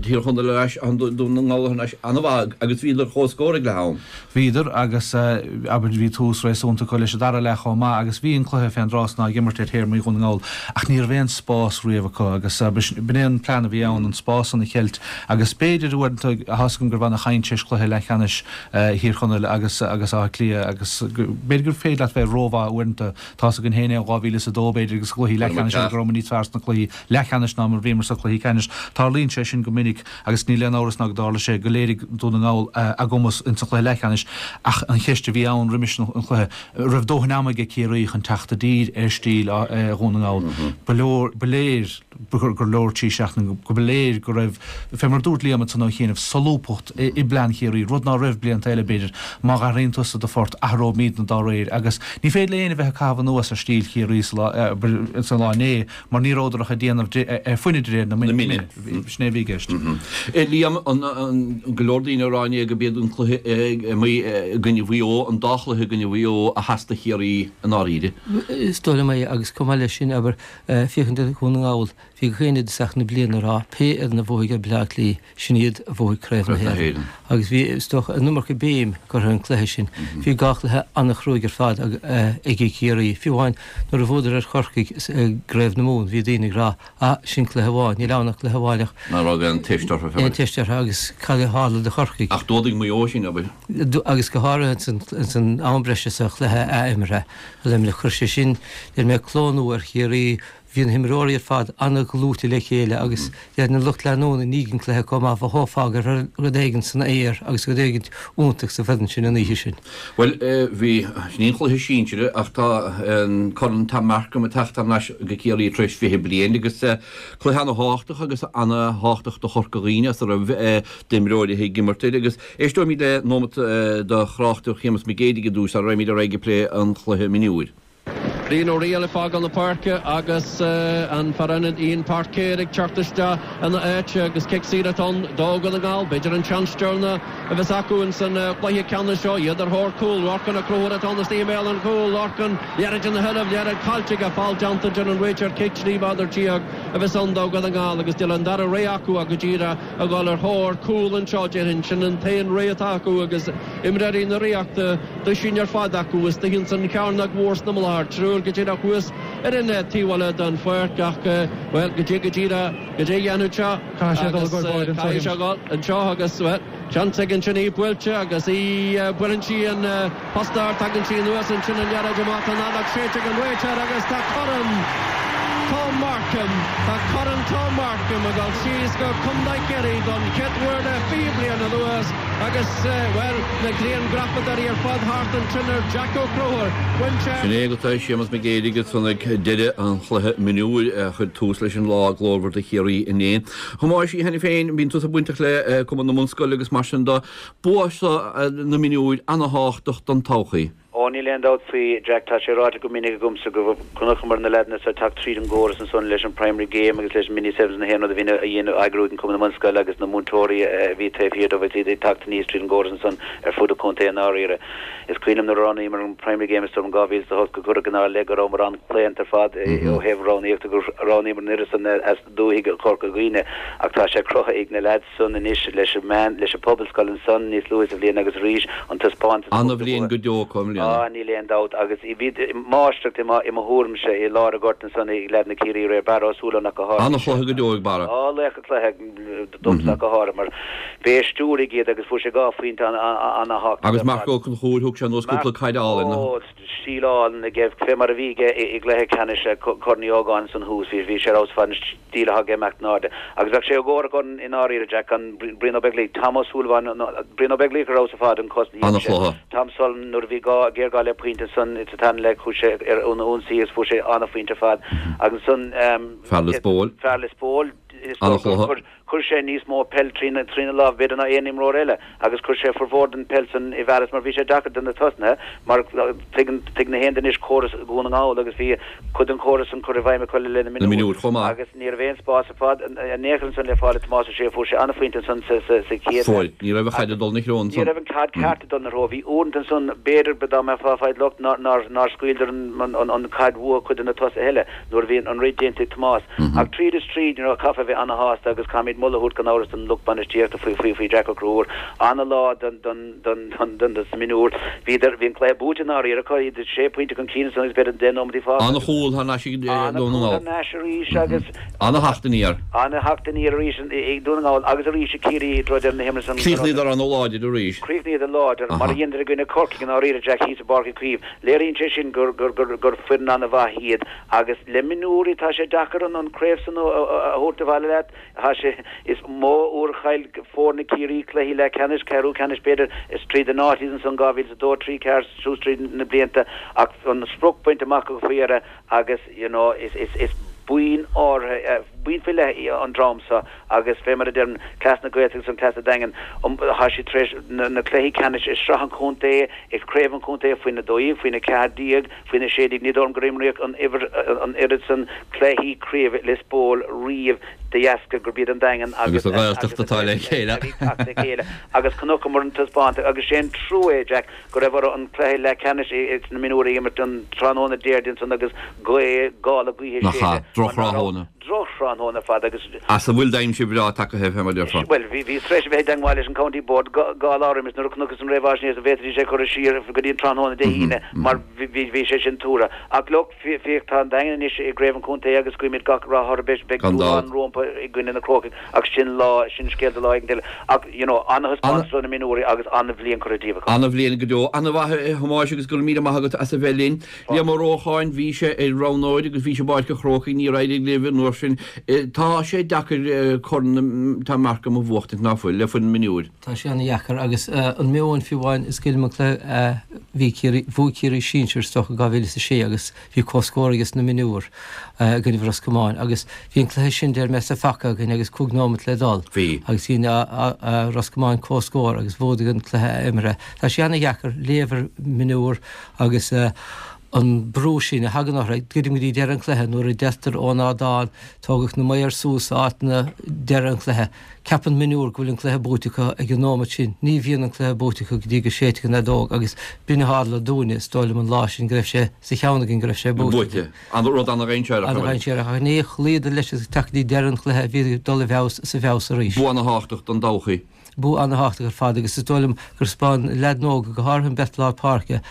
Speaker 2: Tír Chonaill ar ais, Dún na nGall ar ais an-mhaith agus bhíodar comhscór ag leath am.
Speaker 5: Bhíodar agus abair bhí tús réasúnta acu leis an dara leath chomh maith agus bhí an cluiche fén dtráth san á dh'imirt ar théarmaí Dhún na nGall. ach ní raibh aon spás riamh acu agus b'in é an plean a bhí ann an spás an a cheilt agus b'fhéidir uaireanta tá a fhios agam go raibh ana-chaint théis cluiche leathcheannais Thír Chonaill agus agus Áth Cliath agus b'fhéidir gur féidir leat bheith rómhaith uaireanta tá a fhios againn féin é dhá mhíle is a dó b'fhéidir agus cluichí leathcheannais go rabhamar níos fearr sna cluichí leathcheannais ná mar bhíomar sa chluichí ceannais. Tarlaíonn sé sin go minic agus níl aon amhras ná go dtarla sé go léirigh Dún na nGall a gcumas insa chluiche leathcheannais ach an cheist a bhí ann roimis an chluiche, raibh dóthain ama ag Ciarraí chun teacht i dtír ar stíl Dhún na nGall. Ba leor, ba léir gur leor trí seachtaine, go ba léir go raibh, fé mar a dúirt Liam ansan ó chianaibh, solúbthacht i bplean Chiarraí, rud ná raibh blianta eile b'fhéidir. Má athraíonn tusa do phort, athróimidne dá réir agus ní féidir le éinne bheith ag caitheamh anuas ar stíl Chiarraí sa lá, sa lá inné mar ní rabhadar ach ag déanamh foighne de réir na mine. Sin é a bhí i gceist.
Speaker 2: Liam, an go leor daoine ag rá inné go b'iad an cluiche i gcoinne Mhaigh Eo, an dá chluiche i gcoinne Mhaigh Eo a sheas do Chiarraí i ndáiríre.
Speaker 6: Is dóigh liom é agus chomh maith leis sin, abair, féachaint ar Dhún na nGall, bhí gach éinne i dtosach na bliana ag rá pé fhoireann a bhuafaidh ar Bhaile Átha Cliath, sin iad a bhuafaidh Craobh na hÉireann. Agus bhí, is dócha, an iomarca béim curtha ar an cluiche sin. Bhí dhá chluiche an-chruaidh ar fad ag Ciarraí. Fiú amháin nuair a bhuadar ar Chorcaigh i gCraobh na Mumhan, bhí daoine ag rá, ah, sin cluiche amháin, níl ann ach cluiche amháin ach.
Speaker 2: Ná raibh aon teist orthu.
Speaker 6: Aon teist orthu agus cad a tharla do Chorcaigh?
Speaker 2: Ach d'fhuadaigh Maigh Eo sin, abair.
Speaker 6: Agus go háirithe ins an am breise sa chluiche athimeartha a Luimneach. Chuir sé sin, deir mé, cló nua ar Chiarraí. Bhí na himreoirí ar fad an-dhlúite le chéile agus deir na lucht leanúna i ndiaidh an chluiche chomh maith, mhothófá go raibh rud éigin san aer agus rud éigin iontach sa bhfoireann sin an oíche sin.
Speaker 2: Bhuel, bhí, sin í an chluiche sinsir ach tá an Corn Tom Markham ag teacht thar n-ais go Ciarraí tar éis fiche bliain agus cluiche ana-thábhachtach agus ana-thábhachtach do Chorca Dhuibhne as a raibh d'imreoirí ag imirt air agus éisteoimid le nóimeat de thráchtaireacht Shéamus Mac Géidigh i dtús sara raghaimid ar aghaidh ag plé an chluiche mionúir.
Speaker 1: Brian Ó Riail ag fágáil na páirce agus an fear ionaid Ian Parker ag teacht isteach ina áit agus cic saor atá ann do Dhún na nGall. B'fhéidir an seans deireanach a bheas acu ins an chluiche ceannais seo. Iad ar thóir cúl. Lorcan Ó Conchúir atá ann istigh i mbéal an chúil. Lorcan, liathróid ina sheilbh, liathróid caillte aige, feall déanta deir an réiteoir. Cic trí mhéadar déag a bheas ann do Dhún na nGall agus níl an dara rogha acu ach go díreach a dhul ar thóir cúl anseo déarfainn. Sin an t-aon rogha atá acu agus imreoirí na Ríochta duisín ar fad acu istigh ins an chearnóg mhór sna Mullaghar, triúr go díreach thuas ar an taobh eile den pháirc ach, bhuel, goidé go díreach, goidé a dhéanfaidh sé agus caithfidh sé dhul anseo agus, bhuel, seans ag ansin í buailte agus í, buaileann sí an posta, tagann sí anuas ansin an liathróid amach, tá an fheadóg séidte ag an réiteoir agus tá Corn Tom Markham, tá Corn Tom Markham ag dul síos go Contae Chiarraí don chéad uair le fiche bliain anuas agus, bhuel, na grianghrafadóirí ar fad thart ansin ar Jack Ó Conchúir. Bhain sé.
Speaker 2: Sin é agat é, Séamus Mac Géidigh ansan ag deireadh an chluiche mionúir a chuir tús leis an lá glórmhar do Chiarraí inné. A Thomáis, cheana féin, bíonn tusa bainteach le Cumann na mBunscoil agus mar sin de. Bua seo na mionúir ana-thábhachtach don todhchaí.
Speaker 4: Ó, níl aon dabht faoi, Jack, tá sé ráite go minic agamsa go chonaiceamar na leaideanna seo ag teacht tríd an gcóras ansan leis an Primary Game agus leis an Mini Sevens na haon rud a bhíonn a dhéanamh eagrú ag an Cumann na mBunscoil agus na múinteoirí a bhí taobh thiar dóibh agus iad ag teacht aníos tríd an gcóras ansan ar fud an chontae i ndáiríre. Is cuimhin liom nuair a roghnaíomar an Primary Game is dóigh liom in dhá mhíle is a hocht go cuireadh inár leith go rabhamar an-chlaonta ar fad ó thaobh roghnaíochta gur roghnaíomar an fhoireann san as dúthaigh Chorca Dhuibhne ach tá sé cruthaithe ag na leaids san anois leis an meán, leis an Phobalscoil ansan níos luaithe sa bhliain agus arís an taispeántas a thug
Speaker 2: Ana-bhliain go deo acu i mbliana.
Speaker 4: Á, níl aon dabht agus bhí máistreacht i mo, i mo thuairimse i lár an ghoirt ansan ag leaid na Ciarraí aréir, Barra Ó Súilleabháin ach go háirithe.
Speaker 2: Ana-chluiche go deo ag Barra.
Speaker 4: Á, laoch an chluiche domsa ach go háirithe mar b'é a stiúraigh iad agus fuair sé dhá phointe ana-thábhachtach
Speaker 2: Agus
Speaker 4: ar
Speaker 2: Marc
Speaker 4: fad.
Speaker 2: Ó Conchúir, thug sé anuas cúpla
Speaker 4: Marc
Speaker 2: caid álainn.
Speaker 4: Ó, stíl álainn aige, fé mar a bhí aige i gcluiche ceannais Chorn Uí Ógáin ansan thuas, bhí sé ar fheabhas ar fad, an stíl atá aige imeacht in airde. Agus bheadh sé éagórach orainn i ndáiríre, Jack, gan Brian Ó Beaglaoich, Tom Ó Súilleabháin, Brian Ó Beaglaoich ar fheabhas ar fad an cosc a dhein sé.
Speaker 2: An-chluiche.
Speaker 4: Tom Sullivan nuair a bhí gá, géarghá le pointe ansan sa tarna leath chuaigh sé ar an ionsaí agus fuair sé an-phointe ar fad. Agus ansan
Speaker 2: Fear Lios Póil.
Speaker 4: Fear Lios Póil, is dócha gur
Speaker 2: An-chluiche.
Speaker 4: Chuir sé níos mó peil trína lámh b'fhéidir ná aon imreoir eile agus chuir sé formhór den peil san i bhfearas mar bhí sé deacair do na tosnaithe mar tuigeann tuigeann aon duine anois córas Dhún na nGall agus bhí cuid den chóras san curtha i bhfeidhm acu le linn na
Speaker 2: Na mionúir chomh maith.
Speaker 4: agus ní raibh aon spás ar fad in aon chor ansan le fáil ag Tomás Ó Sé fuair sé an-phointe ansan sa sa sa chéad
Speaker 2: Fuair. Ní raibh an chaid ag dul ina threo
Speaker 4: Ní
Speaker 2: ansan.
Speaker 4: raibh an chaid ceart ag dul ina threo. Bhí uaireanta ansan b'fhéidir dá mbeifeá ag fáil locht nár nár nár scaoileadar an an an chaid uathu cuid de na tosaithe eile nuair a bhí an rud déanta ag Tomás. Ach tríd is tríd you know caithfear a bheith ana-shásta agus caithfimid Caithfimid moladh a thabhairt gan amhras don lucht bainistíochta faoi faoi faoi Jack Ó Conchúir. Ana-lá don don don don don dos na mionúir. Bhíodar bhí an cluiche buaite i ndáiríre acu, iad sé pointe chun cinn ansan agus b'fhéidir deich nóiméadaí fágtha.
Speaker 2: Ana-chúl thar n-ais ag Dún na
Speaker 4: Ana-chúl
Speaker 2: nGall.
Speaker 4: thar n-ais arís agus.
Speaker 2: Ana-theacht aniar.
Speaker 4: Ana-theacht aniar arís ag Dún na nGall agus arís ag Ciarraí i dtreo deireadh na himeartha san.
Speaker 2: Chríochnaíodar ana-láidir arís.
Speaker 4: Chríochnaíodar láidir, mar a dheineadar i gcoinne Corcaigh i ndáiríre, Jack thíos i bPáirc Uí Chaoimh. Léiríonn sé sin gur gur gur gur foireann ana-mhaith iad agus le mionúirí tá sé deacair an an craobh san a thabhairt abhaile leat. Tá sé is mó uair a chaill foirne Ciarraí cluichí leathcheannais, ceathrú ceannais b'fhéidir, is tríd an áit iad ansan dhá mhíle is a dó, trí, ceathair, suas tríd na blianta ach an sprioc bainte amach acu faoi dheireadh agus you know is is is buíon áirithe, buíon faoi leith í an dream seo agus fé mar a deirim, cleas na Gaeltachta agus an cleas an Daingin, tá siad tar éis na cluichí ceannais i Sraith an Chontae, i Craobh an Chontae faoina dó dhéag, faoina ceathair déag, faoina sé déag, ní dóigh liom gur imríodh an uimhir, an oiread san cluichí craoibhe Lios Póil riamh de dheasca gurb iad an Daingean
Speaker 2: agus an Ghaeltacht atá le chéile.
Speaker 4: a bhí ag teacht le chéile agus chonaiceamar an taispeántas agus sé an trua é, Jack, go raibh orthu an cluiche leathcheannais sna mionúirí a imirt an tráthnóna Déardaoin san agus gaoth, gála gaoithe
Speaker 2: Nach ea,
Speaker 4: séide mar ná raibh
Speaker 2: drochráthnóna.
Speaker 4: drochráthnóna ar fad agus.
Speaker 2: As a bhfuil d'aimsir bhreá tagaithe fé mar a déarfá.
Speaker 4: Bhuel, bhí, bhíos tar éis a bheith i dteangmháil leis an County Board dhá, dhá lá roimis nuair a chonacthas an réamhaisnéis an bhféadfaidís é a chur siar go dtí an tráthnóna Dé hAoine mar bhí, bhí, bhí sé sin tuartha. Ach look, féach, tá an Daingean anois i gcraobh an chontae agus guímid gach rath orthu, beidh, beidh
Speaker 2: Gan
Speaker 4: dúshlán
Speaker 2: dabht.
Speaker 4: rompu i gcoinne na Crócaigh ach sin lá, sin scéal do lá éigin eile. Ach, you know, ana-thaispeántas ó na mionúirí agus ana-bhliain curtha díobh acu.
Speaker 2: Ana-bhliain go deo. Ana-mhaith a Thomáis agus go raibh míle maith agat as a bheith linn. Liam Ó Rócháin, bhí sé ar roghnóir agus bhí sé i bPáirc an Chrócaigh, níor éirigh libh an uair sin. Tá sé deacair Corn Tom Markham a bhuachtaint ná fuil le foireann mionúir.
Speaker 6: Tá sé ana-dheacair agus an meon fiú amháin is cuimhin liom an cluiche a bhí Ciarraí, bhuaigh Ciarraí sinsir is dócha dhá mhíle is a sé agus bhí comhscór ages na mionúir i gcoinne Ros Comáin agus bhí an cluiche sin deir mé sa phaca againn agus cúig nóiméad le dul.
Speaker 2: Bhí.
Speaker 6: Agus bhí Ros Comáin comhscór agus bhuadaigh an cluiche a imeartha. Tá sé ana-dheacair léamh ar mionúir agus an brú sin a thagann orthu go dtí deireadh an chluiche nuair a deirtear ón ardán tógadh na maoir suas áiteanna deireadh an chluiche. Ceapann mionúr go bhfuil an cluiche buaite acu ag an nóiméad sin. Ní bhíonn an cluiche buaite acu go dtí go séidfidh an fheadóg agus b'in a tharla dúinne is dóigh liom an lá sin go raibh sé sa cheann againn go raibh sé buaite.
Speaker 2: Buaite. An rud ana-dhainséarach.
Speaker 6: Ana-dhainséarach ach ní chloíodar leis agus teacht go dtí deireadh an chluiche bhí ag dul i bhfeabhas sa bhfeabhas arís.
Speaker 2: Bua ana-thábhachtach don todhchaí.
Speaker 6: Bua ana-thábhachtach ar fad agus is dóigh liom gur thaispeáin leaideanna óga go háirithe an bheirt lár páirce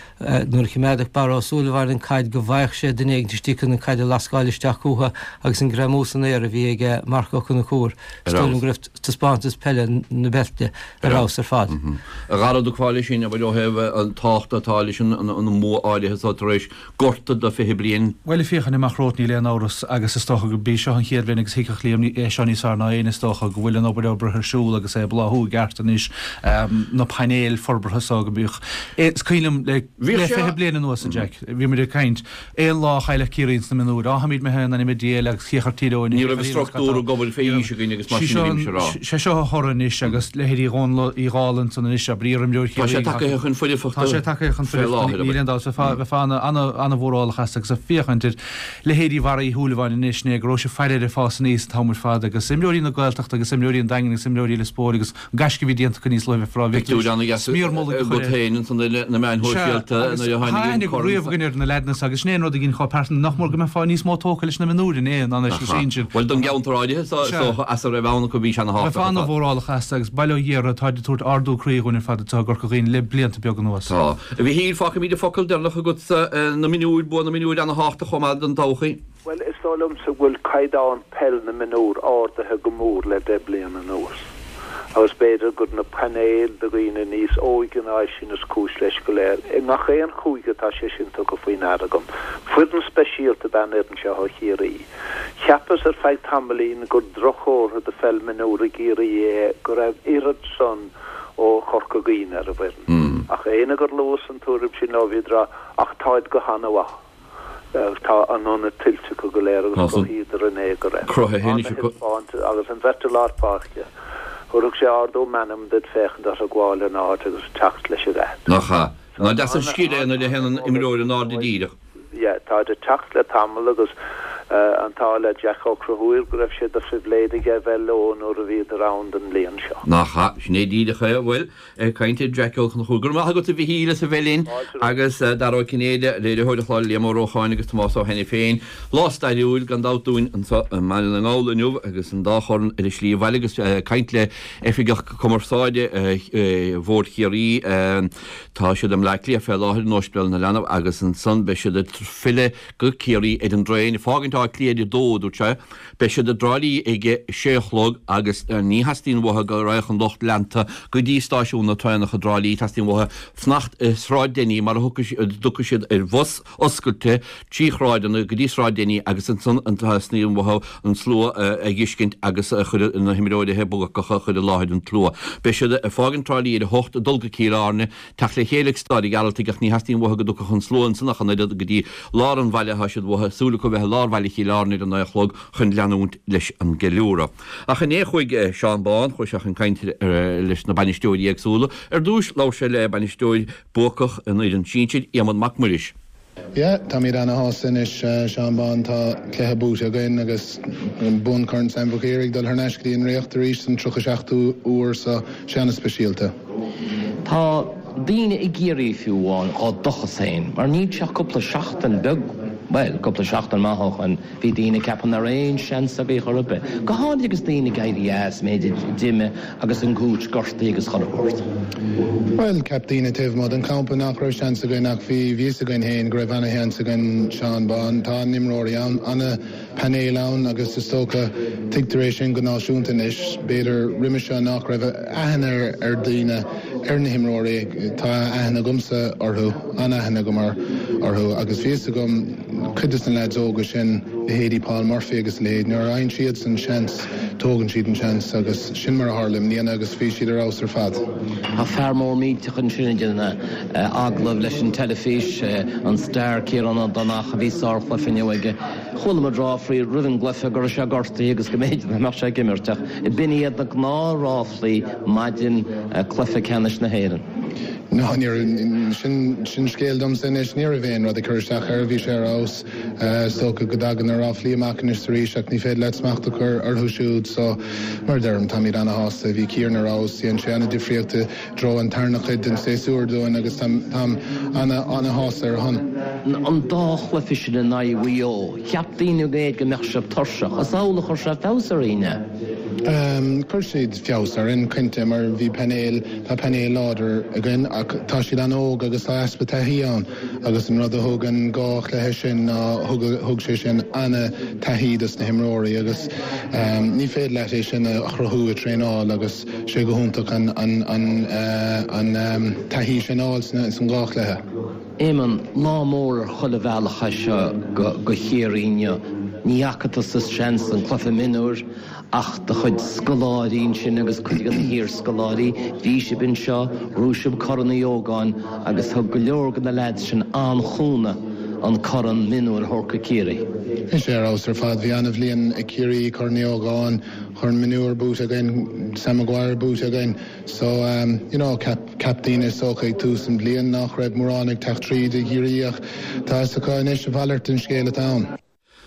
Speaker 6: nuair a choimeádadh Barra Ó Súilleabháin an caid go bhfaigheadh sé duine éigin istigh chun an caid a lascáil isteach chucu agus an greamú san aer a bhí ag Marc Ó Conchúir. Is dóigh liom go raibh taispeántas peile na beirte ar fheabhas ar fad.
Speaker 2: A Dhara do fáile sin a bhfuil ó thaobh an tábhacht atá leis an mbua áirithe so tar éis gorta do fiche bliain.
Speaker 5: Bhuel féachaint amach romhat níl aon amhras agus is dócha go bí seo an chéad bhliain agus thuigfeadh Liam é seo níos fearr ná aon is dócha go bhfuil an obair obair ar siúl agus é bláthú i gceart anois na painéil forbartha so go mbíodh. Is cuimhin liom le le fiche bliain anuas a Jack, bhí muid ag caint aon lá a chailleadh Ciarraí sna mionúir, á tháimid imithe in ainm a Dé agus cíochar Tír Eoghain.
Speaker 2: Ní raibh struchtúr ag obair fé aois againn agus mar sin a bhímse a rá.
Speaker 5: Sé seo a thoradh anois agus leithéidí Dhónal Uí Dhálainn san anois abair iarimreoir
Speaker 2: Tá sé tagtha chun foirfeachta
Speaker 5: Tá sé tagtha chun
Speaker 2: fé láthair,
Speaker 5: foirfeachta níl aon dabht bheifeá ana-mhórálach as agus ag féachaint ar leithéidí Bharra Uí Shúilleabháin anois né go raibh sé faire ar fás aníos an t-am ar fad agus imreoirí na Gaeltachta agus imreoirí an Daingin agus imreoirí Lios Póil agus an gaisce a bhí déanta acu níos luaithe bheith rá
Speaker 2: Pictiúr ana-dheas
Speaker 5: smior mullaigh a
Speaker 2: agat
Speaker 5: chur air.
Speaker 2: féin ansan na meáin shóisialta nuair a tháinig an corn.
Speaker 5: riamh againn ar na leaideanna agus sin é an rud a ghin chomh pearsanta nach mór go mbeifeá níos mó tógtha leis na mionúir in aon ná leis na sinsir.
Speaker 2: Bhuel don gceantar áirithe so so as a raibh ann acu bhí sé ana-thábhachtach
Speaker 5: Bheifeá
Speaker 2: ar fad.
Speaker 5: ana-mhórálach as agus Baile Ó Ghiorra atá ag tabhairt ardú croí dhúinn ar fad atá i gCorca Dhuibhne le blianta beaga anuas.
Speaker 2: Tá. A Mhichíl fágfaimid an focal deireanach agatsa na mionúir bua na mionúir ana-thábhachtach chomh maith don todhchaí.
Speaker 3: Well is dóigh liomsa go bhfuil caighdeán peil na mionúr ardaithe go mór le deich bliana anuas. Agus b'fhéidir gur na painéil de dhaoine níos óige ná sin is cúis leis go léir. I ngach aon chúige tá sé sin tugtha faoi ndeara agam. Foireann speisialta ab ea an fhoireann seo ó Chiarraí. Cheapas ar feadh tamaillín gur drochchomhartha do pheil mionúr i gCiarraí é go raibh oiread san ó Chorca Dhuibhne ar an bhfoireann. Ach éinne gur luas an tuairim sin leo bhí rá ach táid go hana-mhaith. Tá an ionad tuillte acu go léir agus cruthaíodar an é go raibh.
Speaker 2: Cruthaithe anois acu.
Speaker 3: Agus an bheirt i lár páirce. Thabharfadh sé ardú meanman duit féachaint orthu ag gabháil in áit agus teacht leis an leaid.
Speaker 2: Nach ea. Ná deas an scil é nuair a théann an imreoir in airde díreach.
Speaker 3: Yeah, tá ag teacht le tamall agus An t-ádh le Jack Ó Conchúir go raibh sé de phribhléid aige a bheith leo nuair a bhíodar ann don bhliain seo.
Speaker 2: Nach ea, sin é díreach é. Bhuel, ag caint ar Jack Ó Conchúir, go raibh maith agat a Mhichíl as a bheith linn agus Dara Ó Cinnéide, léiritheoir an chláir Liam Ó Rócháin agus Tomás Ó hAiniféin. Lá stairiúil gan dabht dúinn anseo i mBaile na nGall inniu agus an dá chorn ar a slí abhaile agus caint le Oifigeach Cumarsáide Bhord Chiarraí. Tá siad i mBleá Cliath fé láthair in Ospidéal na Leanbh agus ansan beidh siad ag filleadh go Ciarraí ar an dtraein, ag fágaint Átha Cliath ar a dó, a dúirt sé. Beidh siad i dTrá Lí ag a sé a chlog agus ní theastaíonn uathu go raghadh an lucht leanta go dtí stáisiún na traenach i dTrá Lí, teastaíonn uathu fanacht i Sráid Denny mar a dtiocfaidh siad ar bhus oscailte trí shráideanna go dtí Sráid Denny agus ansan teastaíonn uathu an slua a dh'fheiscint agus a chur na himreoirí buacacha a chur i láthair an tslua. Beidh siad ag fágaint Trá Lí ar a hocht ag dul go Cill Airne, teacht le chéile ag Staid an Ghearaltaigh ach ní theastaíonn uathu go dtiocfadh an slua ansan ach an oiread go dtí lár an bhaile, tá siad uathu, súil acu bheith i lár bhaile Chill Airne ar a naoi a chlog chun leanúint leis an gceiliúradh. Ach inné chuaigh Seán Bán, chuaigh sé chun cainte leis na bainisteoirí éagsúla. Ar dtús labhair sé le bainisteoir buacach an fhoireann sinsir, Éamonn Mac Muiris.
Speaker 7: Yeah, táimid ana-shásta anois, Seán Bán, tá cluiche buaite againn agus bonn Chorn Sam Mhic Uidhir ag dul thar n-ais go dtí an Ríocht arís don tríocha seachtú uair so sé ana-speisialta.
Speaker 8: Tá daoine i gCiarraí fiú amháin dhá dtochas féin, mar níl sé ach cúpla seachtain beag, bhuel, cúpla seachtain maith ó shoin, bhí daoine ag ceapadh nach raibh aon seans agaibh chor ar bith, go háirid agus daoine ag éirí as, b'fhéidir, d'imigh agus an coach gortaithe agus chuile shórt.
Speaker 7: Bhuel, cheap daoine taobh amuigh den champa nach raibh seans againn ach bhí bhí fhios againn féin go raibh ana-sheans againn, Seán Bán. Tá an-imreoirí ann, ana-phainéal ann agus is dócha tuigtear é sin go náisiúnta anois. B'fhéidir roimhe seo nach raibh aithne ar dhaoine ar na himreoirí, tá aithne agamsa orthu, an-aithne agam orthu agus bhí fhios agam cuid de na leaids óga sin, leithéidí Paul Murphy agus a leithéid, nuair a fhaigheann siadsan seans, tógann siad an seans agus sin mar a tharla i mbliana agus bhí siad ar fheabhas ar fad.
Speaker 8: Tá fear mór millteach ansin ag déanamh agallamh leis an teilifís, an star Ciarán Ó Donnacha, bhí sárchluiche inniu aige. Chuala muid ráflaí roimh an gcluiche go raibh sé gortaithe agus go mb'fhéidir nach mbeadh sé ag imirt ach b'in iad na gnáthráflaí maidin cluiche ceannais na hÉireann.
Speaker 7: No, ní raibh, sin, sin scéal domsa anois, ní raibh aon rud ag cur isteach air, bhí sé ar fheabhas. Is dócha go dtagann na ráflaí amach anois arís ach ní féidir leat smacht a chur orthu siúd so mar a deirim, táimid ana-shásta, bhí Ciarán ar fheabhas, dhein sé ana-difríocht i dtreo an tarna chuid den séasúr dúinn agus táim, táim ana, ana-shásta ar a shon.
Speaker 8: An dá chluiche sin in aghaidh Mhaigh Eo, cheap daoine go mb'fhéidir go mbeadh sibh tuirseach. Is amhlaidh a chuir sé feabhas oraibh, an ea?
Speaker 7: Chuir siad feabhas orainn, cinnte, mar bhí painéal, tá painéal láidir againn ach tá siad an-óg agus tá easpa taithí ann agus an rud a thug an dhá chluiche sin ná thug, thug sé sin an-taithí dos na himreoirí agus ní féidir leat é sin a chruthú i traenáil agus sé go hiontach an, an, an, an taithí sin a fháil sna, san dhá chluiche.
Speaker 8: Éamonn, lá mór ar chuile bhealach é seo go, go Chiarraí inniu. Ní fhaca tusa seans an cluiche mionúir Ach do chuid scoláirí ansin agus cuid de na hiarscoláirí, bhí sibh anseo, ghnóthaigh sibh Corn Uí Ógáin agus thug go leor de na leaids sin an-chúnamh an corn mionúir a thabhairt go Ciarraí.
Speaker 7: Bhí sé ar fheabhas ar fad. Bhí an-bhliain ag Ciarraí, Corn Uí Ógáin, Corn Mionúir buaite againn, Sam Maguire buaite againn. So, you know, cheap, cheap daoine is dócha ag tús an bhliain nach raibh mórán ag teacht tríd i gCiarraí ach tá fhios acu anois a mhalairt den scéal atá ann.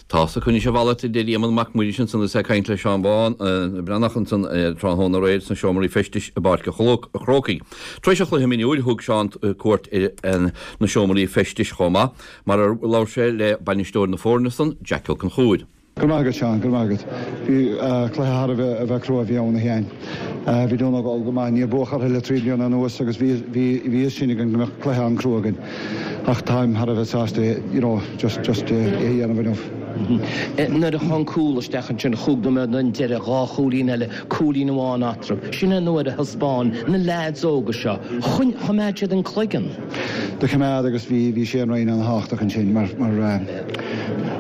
Speaker 2: Tá fhios acu anois a mhalairt, a deir Éamonn Mac Muiris ansan is é ag caint le Seán Bán Breathnach ansan tráthnóna aréir sna seomraí feistis i bPáirc an Chrócaigh. Tar éis an chluiche mionúir thug Seán cuairt ar na seomraí feistis chomh maith, mar ar labhair sé le bainisteoir na foirne san, Jack Ó Conchúir.
Speaker 9: Go raibh maith agat, Seán, go raibh maith agat. Bhí cluiche thar a bheith crua a bhí ann, a Sheáin. Bhí Dún na nGall go maith, níor buadh orthu le trí bliana anuas agus bhí bhí fhios sin againn go mbeadh cluiche an-crua againn. Ach táim thar a bheith sásta you know just just é a dhéanamh inniu.
Speaker 8: Nuair a chuaigh an cúl isteach ansin chúig nóiméad don deireadh, dhá chúilín eile, cúilín amháin eatarthu. Sin é an uair a thaispeáin na leaids óga seo, choimeád siad an cloigeann.
Speaker 9: Do choimeád agus bhí bhí Shane Ryan an-thábhachtach ansin mar mar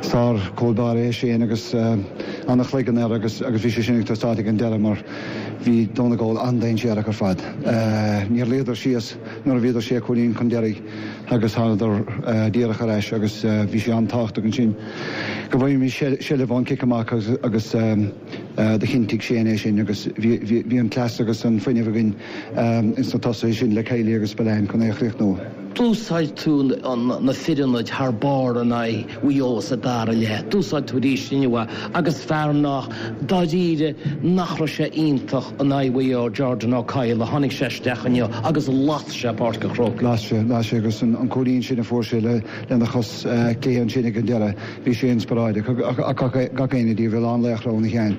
Speaker 9: sár chúl báire é Shane agus an-chloigeann air agus agus bhí sé sin ag teastáil ag an deireadh mar bhí Dún na nGall an-dainséarach ar fad. Níor luíodar síos nuair a bhíodar sé chúilín chun deiridh agus thánadar díreach ar ais agus bhí sé an-tábhachtach ansin go bhfaighimís seilbh ón cic amach agus do chinntigh Shane é sin agus bhí an cleas agus an fuinneamh againn ins na tosaithe sin le Kiely agus Spillane chun é a chríochnú.
Speaker 8: D'úsáid tú na fir ionaid thar barr in aghaidh Mhaigh Eo sa dara leath. D'úsáid tú arís inniu agus fear nach, dáiríre, nach raibh sé iontach in aghaidh Mhaigh Eo, Jordan Ó Cadhla, tháinig sé isteach inniu agus las sé Páirc an Chrócaigh.
Speaker 9: Las sé, las sé agus an cúilín sin a fuair sé lena chos clé ansin ag an deireadh, bhí sé inspioráideach ach gach éinne díobh, a lán laochra óna shean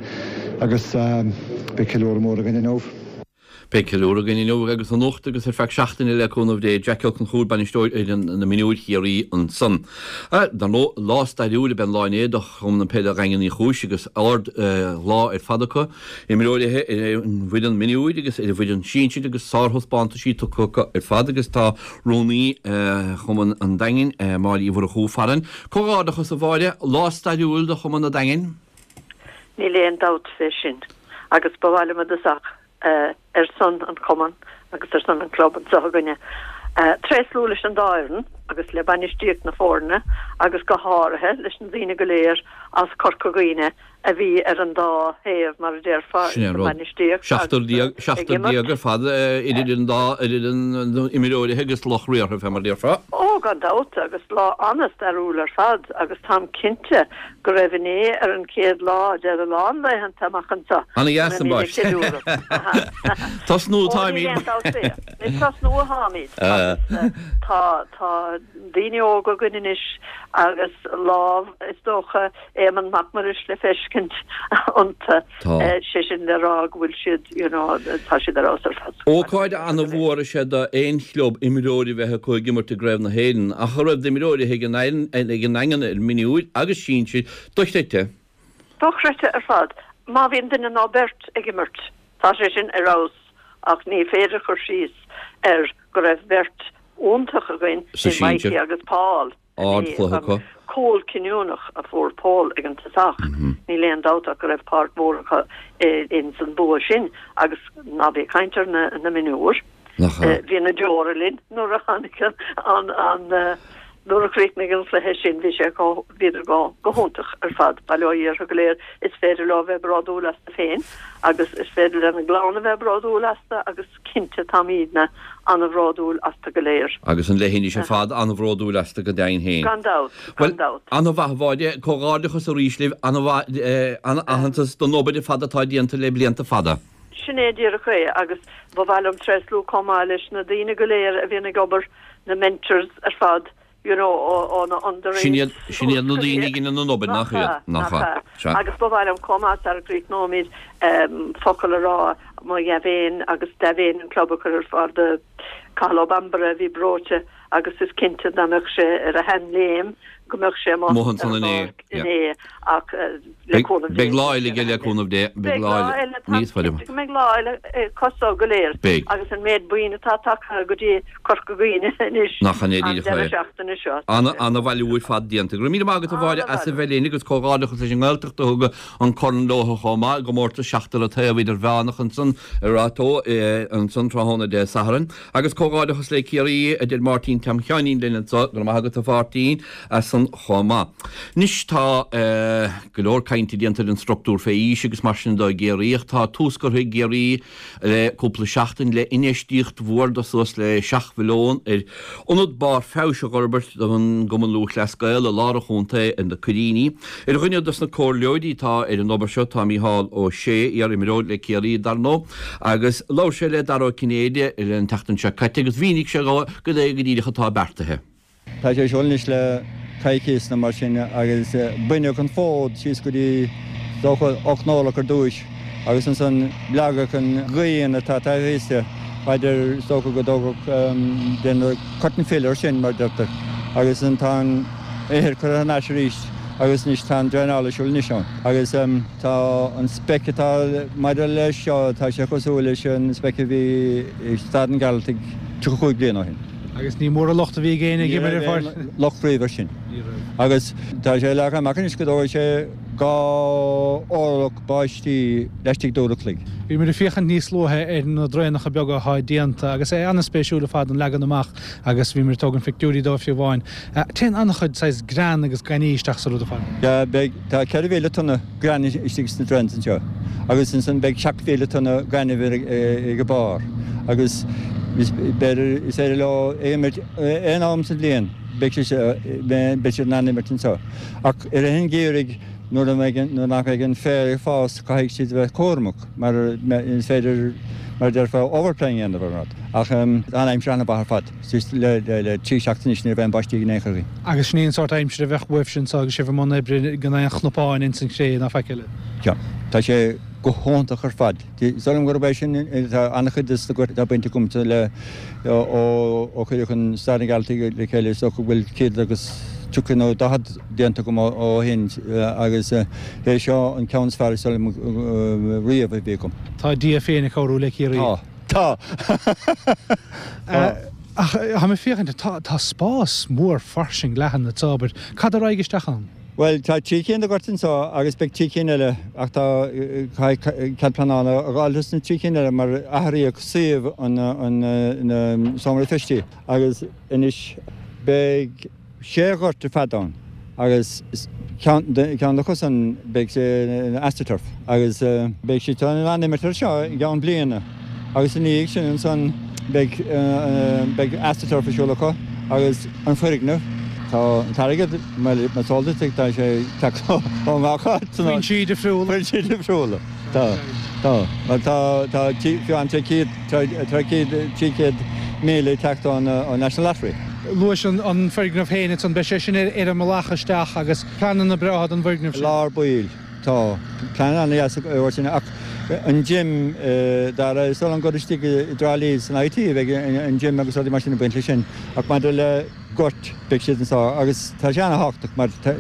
Speaker 9: agus beidh ceiliúradh mór againn inniu.
Speaker 2: Beidh ceiliúradh againn inniu agus anocht agus ar feadh seachtaine le cúnamh Dé. Jack Ó Conchúir, bainisteoir fhoireann na mionúir Chiarraí ansan. Dar ndóigh, lá stairiúil ab ea an lá inné do Chumann Peile Dhaingean Uí Chúis agus ard lá ar fad acu. Imreoirí ar an bhfoireann mionúir agus ar an bhfoireann sinsir agus sárthaispeántaisí tugtha acu ar fad agus tá rúnaí Chumann an Daingin, Máire Uí Mhurchú, farainn. Comhghairdeachas a Mháire, lá stairiúil do Chumann an Daingin.
Speaker 10: Níl aon dabht fé sin agus ba mhaith liom i dtosach ar son an chumainn agus ar son an chlub anseo againne. Tréaslú leis an dá fhoireann agus le bainistíocht na foirne agus go háirithe leis na daoine go léir as Corca Dhuibhne a bhí ar an dá thaobh, mar a déarfá,
Speaker 2: Sin é
Speaker 10: sa
Speaker 2: an rud.
Speaker 10: bhainistíocht
Speaker 2: Seachtar
Speaker 10: agus
Speaker 2: déag,
Speaker 10: ag
Speaker 2: seachtar
Speaker 10: imirt.
Speaker 2: déag ar fad idir an dá, idir an imreoirithe agus lucht riartha, fé mar a déarfá.
Speaker 10: Ó, gan dabht, agus lá an-stairiúil ar fad agus táim cinnte go raibh inné ar an chéad lá de a lán laethanta amach anseo
Speaker 2: Ana
Speaker 10: go
Speaker 2: dheas an
Speaker 10: mbeimid ag
Speaker 2: baist.
Speaker 10: ceiliúradh.
Speaker 2: Tosnú
Speaker 10: Ó, níl
Speaker 2: táimid.
Speaker 10: aon dabht fé. Ag tosnú atáimid agus tá tá daoine óga againn anois agus lámh is dócha Éamonn Mac Muiris le feiscint iontu.
Speaker 2: Tá.
Speaker 10: Sé sin le rá go bhfuil siad you know tá siad ar fheabhas ar fad.
Speaker 2: Ócáid ana-mhór is ea d'aon chlub imreoirí bheith acu ag imirt i gCraobh na hÉireann ach a raibh d'imreoirí ag an ag an nDaingean ar mionúir agus sinsir dochreidte.
Speaker 10: Dochreidte ar fad. Má bhíonn duine nó beirt ag imirt, tá sé sin ar fheabhas ach ní féidir cur síos ar go raibh beirt iontach againn
Speaker 2: Sa
Speaker 10: i Mikey
Speaker 2: sinsir.
Speaker 10: agus Paul.
Speaker 2: Ardchluiche acu.
Speaker 10: Cúl cinniúnach a fuair Paul ag an tosach. Níl aon dabht ach go raibh páirt mhór acu ins an bua sin agus ná bí ag caint ar na na mionúir.
Speaker 2: Nach ea.
Speaker 10: Bhí na deora linn nuair a tháinig an an nuair a chríochnaigh an cluiche sin bhí sé go bhíodar go go hiontach ar fad. Bail ó Dhia orthu go léir is féidir leo bheith bródúil astu féin agus is féidir lena gclann a bheith bródúil astu agus cinnte táimidne an-bhródúil astu go léir.
Speaker 2: Agus an leithinis ar fad an-bhródúil astu go deimhin féin.
Speaker 10: Gan dabht, gan dabht.
Speaker 2: Ana-mhaith a Mháire, comhghairdeachas arís libh, ana-aitheantas don obair ar fad atá déanta le blianta fada.
Speaker 10: Sin é díreach é agus ba mhaith liom tréaslú chomh maith leis na daoine go léir a bhíonn ag obair, na mentors ar fad, you know, ó ó na underage.
Speaker 2: Sin iad sin iad na daoine a dhéanann an obair, nach iad? Nach ea. Sea.
Speaker 10: Agus ba mhaith liom chomh maith sara gcríochnóimid focal a rá mo dhea-mhéin agus dea-mhéin an club a chur ar fáil do Cathal Ó Bambaire a bhí breoite agus is cinnte dá mbeadh sé ar a sheanléim go mbeadh sé amuigh
Speaker 2: Amuigh
Speaker 10: ar
Speaker 2: ansan
Speaker 10: an
Speaker 2: inné,
Speaker 10: bpáirc
Speaker 2: yeah.
Speaker 10: inné ach le
Speaker 2: Beidh
Speaker 10: cúnamh Dé
Speaker 2: beidh lá eile aige le cúnamh Dé, beidh
Speaker 10: Beidh
Speaker 2: lá
Speaker 10: lá
Speaker 2: eile
Speaker 10: eile, táim
Speaker 2: níos faide.
Speaker 10: cinnte go mbeidh lá eile acu go léir
Speaker 2: Beidh.
Speaker 10: agus an méid buíon atá tagtha go dtí Corca Dhuibhne anois
Speaker 2: Nach an é
Speaker 10: an
Speaker 2: díreach
Speaker 10: deireadh
Speaker 2: é.
Speaker 10: seachtaine seo.
Speaker 2: Ana ana-bhailiú ar fad déanta. Go raibh míle maith agat a Mháire as a bheith linn agus comhghairdeachas leis an nGaeltacht a thug an corn leo chomh maith i gcomórtas seachtar an taobh idirmheánach ansan i Ráth Tó ansan tráthnóna Dé Sathairn. Agus comhghairdeachas le Ciarraí a deir Máirtín Tom Sheáinín linn anso, go raibh maith agat a Mháirtín as san chomh maith. Anois tá go leor cainte déanta ar an struchtúr fé aois agus mar sin de i gCiarraí ach tá tús curtha i gCiarraí le cúpla seachtain le infheistíocht mhór de suas le seacht mhilliún ar ionad barr feabhais a fhorbairt don gCumann Lúthchleas Gael i lár an chontae ar na Coiríní. Ar dhuine dos na comhairleoirí atá ar an obair seo tá Mícheál Ó Sé, iar-imreoir le Ciarraí dar ndóigh, agus labhair sé le Dara Ó Cinnéide an tseachtain seo caite agus mhínigh sé dó cad é go díreach atá beartaithe.
Speaker 11: Tá sé siúl anois le coicís nó mar sin agus baineadh an fód síos go dtí dócha ocht n-orlach ar dtúis agus ansan leagadh an ghrian atá taobh thíos de, b'fhéidir is dócha go dtógfadh déanamh cut and fill air sin mar a deirtear agus an tá an ithir curtha thar n-ais arís agus anois tá an draenáil ar siúl anois ann agus tá an speic atá maidir leis seo tá sé cosúil leis an speic a bhí i Staid an Ghearaltaigh tríocha cúig bliain ó shin.
Speaker 5: Agus ní mór an locht a bhí ag éinne ag
Speaker 11: Ní
Speaker 5: imirt
Speaker 11: raibh
Speaker 5: ar
Speaker 11: aon
Speaker 5: fáil.
Speaker 11: locht riamh air sin. Agus tá sé leagtha amach anois go dtógfaidh sé dhá orlach báistí laistigh d'uair a chloig.
Speaker 5: Bhí muid ag féachaint níos luaithe ar na draenacha beaga atá déanta agus é an-spéisiúil ar fad an leagan amach agus bhí muid ag tógaint pictiúirí dóibh fiú amháin. Téann an-chuid saghas grean agus gainimh isteach sa rud ar fad.
Speaker 11: Yeah, beidh, tá ceithre mhíle tonna grean istigh sna drains anseo agus ansan beidh seacht mhíle tonna gainimh ag a barr agus B'fhéidir is féidir leo imirt aon am sa bhliain, beidh beidh siad in ann imirt anseo. Ach i rith an gheimhridh nuair a mbeidh nuair nach mbeidh an féar ag fás caithfidh siad a bheith cúramach mar is féidir mar a déarfá overplaying a dhéanamh ar an rud. Ach tá an aimsir an-mhaith ar fad suas le le trí seachtaine anois ní raibh aon báistí in aon chor againn.
Speaker 5: Agus sin í an sórt aimsire a bheadh uaibhse anseo agus sibh i mbun oibre gan aon chnapáin ins an chré ná faic eile.
Speaker 11: Sea, tá sé go hiontach ar fad. Is dóigh liom gurb é sin tá an-chuid de na goirt atá bainte agamsa le ó ó cuireadh an Staid na Gealtaí le chéile is dócha go bhfuil céad agus tríocha nó daichead déanta agam ó shin agus é seo an ceann is fearr is dóigh liom riamh a bhí agam.
Speaker 5: Tá Dia féin ag cabhrú le Ciarraí.
Speaker 11: Tá. Tá.
Speaker 5: Tá. Ach tá mé ag féachaint, tá tá spás mór fairsing leathan anseo, abair. Cad a raghaidh isteach ann?
Speaker 11: Bhuel, tá trí cinn de ghoirt anseo agus beidh trí cinn eile ach tá caithfidh cead pleanála a fháil dos na trí cinn eile mar athraíodh suíomh an an seomra feistí agus anois beidh sé ghort ar fad ann agus ceann ceann acusan beidh sé ina astroturf agus beidh siad in ann imirt air seo i gceann bliana agus ina dhiaidh sin ansan beidh beidh astroturf ar siúl acu agus an foirgneamh Tá an t-airgead, más eol duit, tá sé ag teacht ó ngach áit san áit.
Speaker 5: Foinsí difriúla.
Speaker 11: Foinsí difriúla. Tá. Tá. Mar tá, tá fiú an trí chéad, trí chéad, trí chéad míle ag teacht ón National Lottery.
Speaker 5: Luais an foirgneamh féin ansan, beidh sé sin ar an mbealach isteach agus pleananna breátha don bhfoirgneamh
Speaker 11: sin. Lár baill. Tá. Plean an-dheas acu sin ach an gym, Dara, is dóigh liom gur istigh i dTrá Lí san IT a bheidh an gym agus rudaí mar sin ag baint leis sin ach maidir le goirt, beidh siad anseo agus tá sé an-thábhachtach mar tá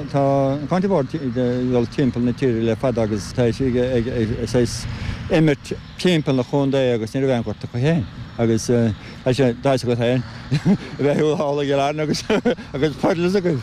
Speaker 11: tá an County Board ag dul timpeall na tíre le fada agus tá siad ag ag saghas imirt timpeall na chontae agus ní raibh aon ghort acu féin agus tá sé tá fhios agat féin a bheith thall i gCill Airne agus agus puddles agaibh.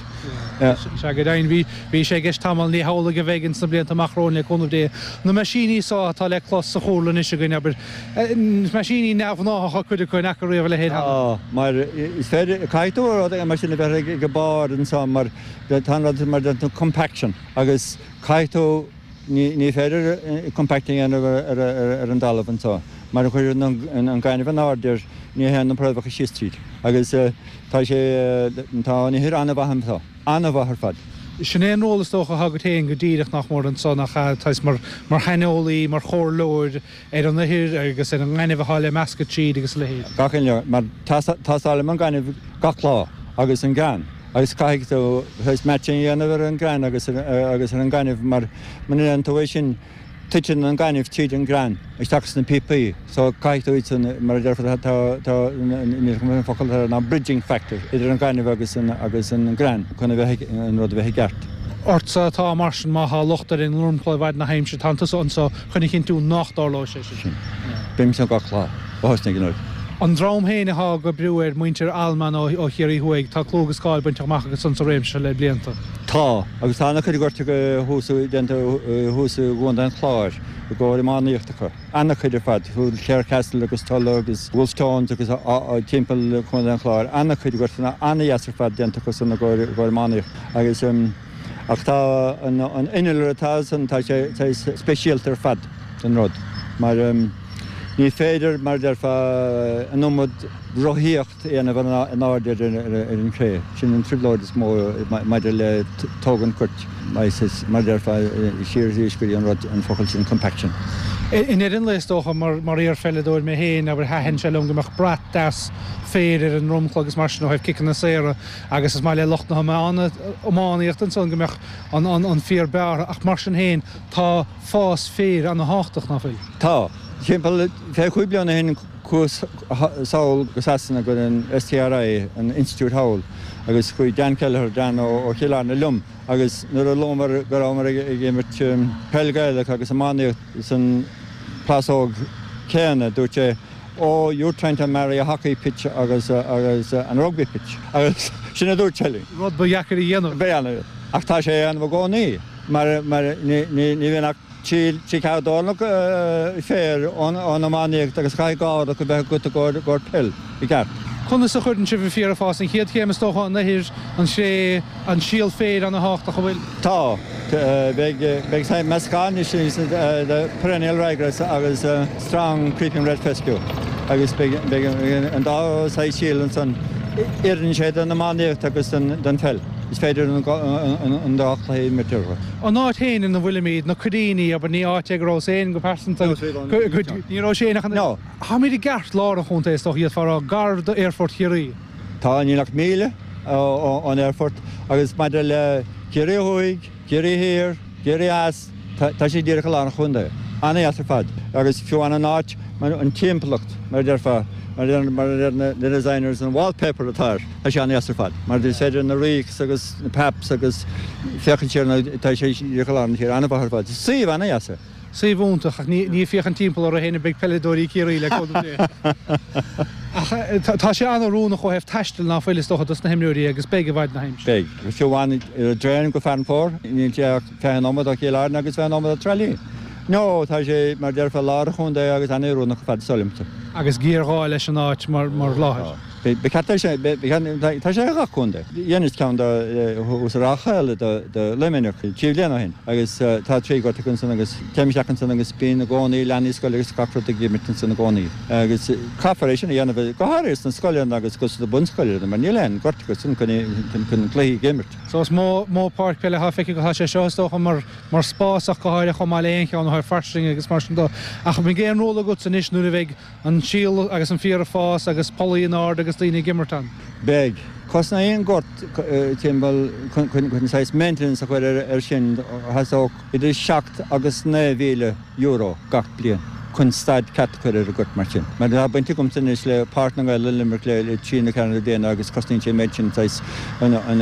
Speaker 5: Sea, go deimhin bhí bhí sé i gceist tamall, ní hamhlaidh a bheidh ins na blianta amach romhainn le cúnamh Dé. Na meaisíní so atá le clos sa chúrlann anois againn, abair, meaisíní neamhghnáthacha cuid acu, an fhaca riamh a leithéid cheana?
Speaker 11: Tá, mar is féidir, caithfidh tú rud mar sin a bheith ag barr anso mar tá an rud mar déanann tú compaction agus caithfidh tú, ní ní féidir compact a dhéanamh ar ar an dtalamh anso mar a chuireann an gaineamh in airde air ní théann na préamhacha síos tríd agus tá sé, tá an ithir an-mhaith anso, an-mhaith ar fad.
Speaker 5: Sin é an ról is dócha atá agat féin go díreach nach mór anso, nach ea, saghas mar mar shaineolaí, mar chomhairleoir ar an ithir agus ar an ngaineamh atá le meascadh tríd agus a leithéid.
Speaker 11: Gach aon lá, mar tástálaim an gaineamh gach lá agus an grean agus caithfidh tú saghas matching a dhéanamh ar an grean agus agus ar an ngaineamh mar muna ndéanann tú é sin titeann an gaineamh tríd an grean isteach sna píopaí so caithfidh tú iad san mar a déarfá tá tá níl an focal atá ná bridging factor idir an gaineamh agus an agus an grean chun a bheith an rud a bheith i gceart.
Speaker 5: Ortsa atá mar sin má thá locht ar an ndromchla i bhfad na haimsire tánn tusa anso chun a chinntiú nách dtarlóidh sé sin.
Speaker 11: Sin. Bím anso gach lá ó thosnaigh an rud.
Speaker 5: An dream féin athá ag oibriú air, muintir Allman ó Chiarraí Thuaidh, tá clú agus cáil bainte amach acu san sa réimse seo le blianta.
Speaker 11: Tá, agus tá an-chuid goirt thuas déanta thuas i gContae an Chláir i gcomhair iománaíocht acu. An-chuid ar fad, Clarecastle agus Tulla agus Wolfe Tones agus timpeall Chontae an Chláir. An-chuid gortanna an-dheas ar fad déanta acu san i gcomhair iománaíocht agus ach tá an innealra atá ansan, tá sé speisialta ar fad don rud mar ní féidir, mar a déarfá, an iomad rothaíocht a dhéanamh in airde ar an chré. Sin an trioblóid is mó maidir le tógaint goirt, mar a déarfá, siar arís go dtí an rud, an focal sin compaction.
Speaker 5: I ndeireadh an lae is dócha, mar iar-pheileadóir mé féin, abair, thaitin sé liom go mbeadh brat deas féir ar an ndromchla agus mar sin ó thaobh ciceanna saora agus is maith le lucht na hiománaíochta ansan go mbeadh an féar bearrtha ach mar sin féin tá fás féir ana-thábhachtach, ná fuil?
Speaker 11: Tá. Timpeall fiche cúig bliana ó shin chuas sall go Sasana go an STRI, an institiúid thall, agus chuaigh Dan Kelleher, Dan ó Chill Airne liom agus nuair a luamar go rabhamar ag imirt peil Gaelach agus iománaíocht san plásóg céanna, dúirt sé, Oh, you're trying to marry a hockey pitch agus agus an rugby pitch. Agus sin a dúirt sé linn.
Speaker 5: Rud ba dheacair a dhéanamh.
Speaker 11: Ba dhéanamh. Ach tá sé á dhéanamh i gcónaí mar mar ní ní bhíonn ach Trí ceathrú dornach féir ón iománaíocht agus caithfidh dhá rud a bheith agat i gcomhair peil i gceart.
Speaker 5: Conas a chuireann sibh an féar ag fás? An chéad chéim is dócha, an ithir, an chré, an síol féir ana-thábhachtach, an bhfuil?
Speaker 11: Tá. Beidh meascán anois de perennial ryegrass agus strong creeping red fescue. agus beidh an dá saghas síol ansan. Oireann sé don iománaíocht agus don pheil. Is féidir an dá chluiche a imirt orthu.
Speaker 5: An áit féin ina bhfuilimid, na Coiríní, abair, ní áit é go raibh féin go pearsanta, ní raibh sé ach an.
Speaker 11: No.
Speaker 5: Táimid i gceartlár an chontae is dócha, d'fhéadfá a rá, gar d'aerfort Chiarraí.
Speaker 11: Tá, níl ach míle ón aerfort agus maidir le Ciarraí Thuaidh, Ciarraí Thiar, Ciarraí Theas, tá sé díreach i lár an chontae. An-dheas ar fad agus fiú an áit, an timpeallacht, mar a déarfá, mar a deir na designers, an wallpaper atá air, tá sé an-dheas ar fad. Mar is féidir na reeks agus na paps agus féachaint siar, tá sé díreach i lár na tíre, an-mhaith ar fad. Suíomh an-dheas é.
Speaker 5: Suíomh iontach ach ní ag féachaint timpeall orthu féin a bheidh peileadóirí Chiarraí le cúnamh Dé. Ach tá sé an-oiriúnach ó thaobh taistil ná fuil is dócha dos na himreoirí agus beidh i bhfad na haimsire.
Speaker 11: Beidh. Fiú amháin ar an dtraein go Fearann Fómhair, níl sé ach fiche nóiméad ó Chill Airne agus fiche nóiméad ó Trá Lí. No, tá sé mar déarfá lár an chontae agus an-oiriúnach ar fad is dóigh liomsa.
Speaker 5: Agus géarghá leis an áit mar láthair.
Speaker 11: Ba cheart é sin, tá sé i gach contae. Dheineas ceann de thuas i Ráth Chaola do Luimneach trí bliana ó shin agus tá trí ghort acu ansan agus téim isteach ansan agus bíonn i gcónaí leanaí scoile agus gach rud ag imirt ansan i gcónaí. Agus caithfear é sin a dhéanamh go háirithe sna scoileanna agus sna bunscoileanna mar níl aon ghort acu san chun cluichí a imirt.
Speaker 5: So is mó mó páirc peile atá feicthe agat tá sé seo is dócha mar mar spás ach go háirithe chomh maith le aon cheann ó thaobh fairsinge agus mar sin dó. Ach an mbeidh aon ról agatsa anois nuair a bheidh an síol agus an féar ag fás agus pollaí in airde agus daoine ag imirt ann?
Speaker 11: Beidh. Cosnaíonn gort timpeall chun saghas maintenance a chur air sin theastódh idir seacht agus naoi mhíle euro gach bliain chun staid ceart a chur ar an gort mar sin. Mar tá baint agamsa anois le Páirc na nGael i Limerick le trí nó ceathair de bhliana agus cosnaíonn sé an méid sin saghas chun an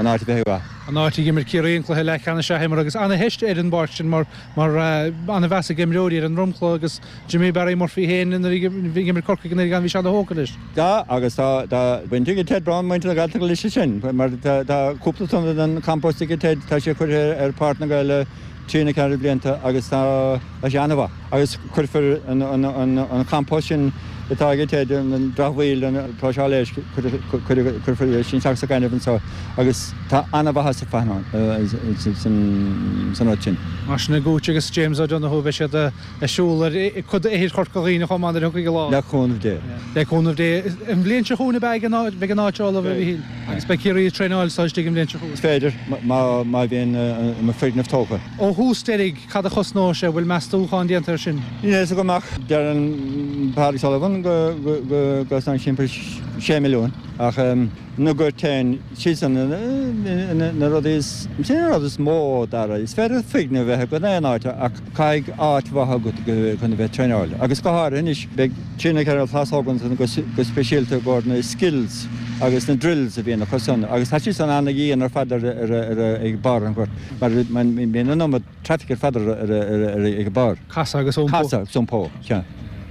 Speaker 11: áit a bheith mhaith.
Speaker 5: An áit a d'imir Ciarraí an cluiche leathcheannais a imir agus ana-theist ar an bpáirc sin mar mar ana-mheas ag imreoirí ar an dromchla agus Jimmy Barry Murphy féin nuair a bhí ag imirt Corcaigh nuair a bhí sé ana-thógtha leis.
Speaker 11: Tá agus tá tá baint ag Ted Brown muintir na Gaeltachta leis sin mar tá tá cúpla tonna den compost ag Ted tá sé curtha ar Páirc na nGael le trí nó ceathair blianta agus tá sé an-mhaith agus cuirfear an an an an compost sin atá ag Ted an dramhaíl an próiseáil éisc cuirfear é sin isteach sa gaineamh anseo agus tá an-mhaitheas ar fad san áit sin.
Speaker 5: Mar sin i Gooch agus James O'Donoghue beidh siad ag siúl ar chuid d'ithir Chorca Dhuibhne chomh maith nuair a thiocfaidh an lá.
Speaker 11: Le cúnamh Dé.
Speaker 5: Le cúnamh Dé. An bhliain seo chugainn ab ea beidh an áit ullamh, a Mhíchíl? Agus beidh Ciarraí ag traenáil anseo istigh an bhliain seo chugainn.
Speaker 11: Is féidir, má bhíonn an foirgneamh tógtha.
Speaker 5: Ó thús deiridh, cad a chosnóidh sé? Bhfuil meastúchán déanta air sin?
Speaker 11: Níl a fhios agam ach deireann Pádraig Sullivan go gcosnaíonn timpeall sé milliún ach na goirt féin, siadsan na rudaí is, sin an rud is mó Dara, is féidir foirgneamh a bheith agat in aon áit ach caithfidh áit mhaith agat chun a bheith ag traenáil agus go háirithe anois beidh trí nó ceithre plásóg ansan go speisialta i gcomhair na skills agus na drills a bhíonn acu san agus tá siad san ana-dhian ar fad ag barr an ghoirt mar bíonn an iomad traffic ar fad ag an barr.
Speaker 5: Casadh agus iompó.
Speaker 11: Casadh agus iompó, sea,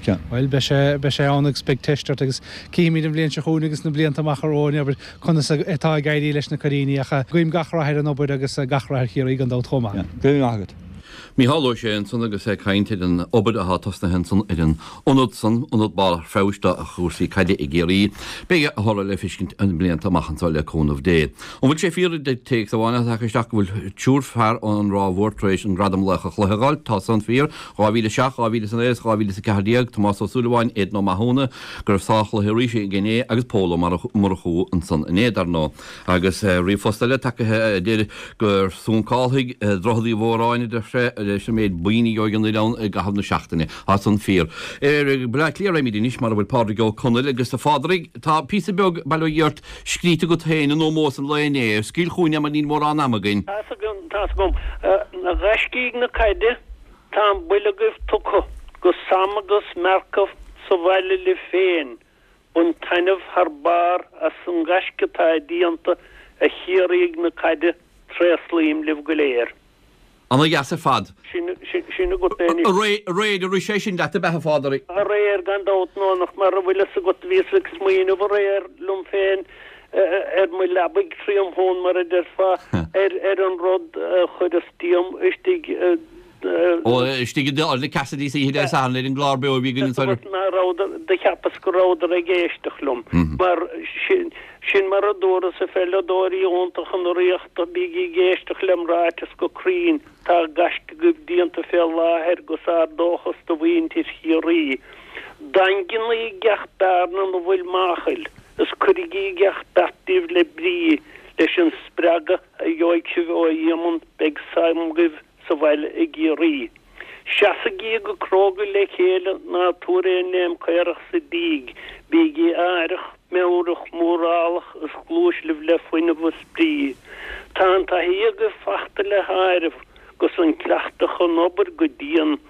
Speaker 11: sea.
Speaker 5: Bhuel, beidh sé, beidh sé ann agus beidh teist ort agus cífimid an bhliain seo chugainn agus na blianta amach romhainn, abair, conas atá ag éirí leis na Coiríní ach guím gach rath ar an obair agus gach rath ar Chiarraí gan dabht chomh maith.
Speaker 11: Yeah, go raibh maith agat.
Speaker 2: Mícheál Ó Sé ansan agus é ag caint ar an obair atá tosnaithe ansan ar an ionad san, ionad barr feabhais do chúrsaí caide i gCiarraí. Beidh a thoradh le feiscint na blianta amach anso le cúnamh Dé. An bhfuil sé fíor, a deir téacs amháin atá tagtha isteach, go bhfuil triúr fear ón Ráth Mhór tar éis an gradam Laoch an Chluiche a fháil? Tá san fíor. dhá mhíle a seacht, dhá mhíle is a naoi agus dhá mhíle is a ceathair déag, Tomás Ó Súilleabháin, Aidan Ó Mathúna, go raibh sárchluiche arís aige inné, agus Pól Ó Murchú ansan inné, dar ndóigh. Agus ríomhphost eile tagaithe a deir gur suncálfaidh Droichead Uí Mhóráin, a deir sé, leis an méid boinn a gheobhaidh an oileán i gcaitheamh na seachtaine. Tá san fíor. Ar Baile Átha Cliath a raghaimid anois, mar a bhfuil Pádraig Ó Conaill. Agus a Phádraig, tá píosa beag, bail ó Dhia ort, scríte agat féin in ómós an lae inné. Scaoil chugainn é mar níl mórán ama againn.
Speaker 12: Tá's agam, tá's agam. A ghaiscígh na caide, tá an buille agaibh tugtha go Sam agus Marco sa bhaile libh féin. Bain taitneamh thar barr as an gaisce atá déanta a Chiarraígh na caide, tréaslaím libh go léir.
Speaker 2: Ana dheas ar fad.
Speaker 12: Sin, sin agat é anois.
Speaker 2: Aréir a rith sé sin leat ab ea a Phádraig?
Speaker 12: Aréir gan dabht, nó nach mar a bhfuil fhios agat bhíos ag smaoineamh aréir liom féin ar mo leabaidh tromshuan mar a déarfá ar ar an rud a chuireas díom istigh
Speaker 2: Ó, istigh i le Cassidy oíche Dé Sathairn ar an gclár beo a bhí againn ansan.
Speaker 12: Ná rabhadar, do cheapas go rabhadar ag éisteacht liom, mar sin, sin mar a dúras a pheileadóirí iontacha na Ríochta, bígí ag éisteacht lem ráiteas go cruinn, tá gaisce agaibh déanta fé láthair go ár dóchas do mhuintir Chiarraí. Daingnígí gach bearna ina bhfuil máchail is cuirigí gach beart díbh le brí leis an spreagadh a gheobhaidh sibh ó Éamonn beidh sam agaibh sa bhaile i gCiarraí. Seasaigí go cróga le chéile ná tabhair aon léim caorach sa díg, bígí aireach, meabhrach, mórálach is gluais libh le fuinneamh is brí. Tá an taithí agaibh fachta le háireamh 'gus an cleachtadh chun obair go dian,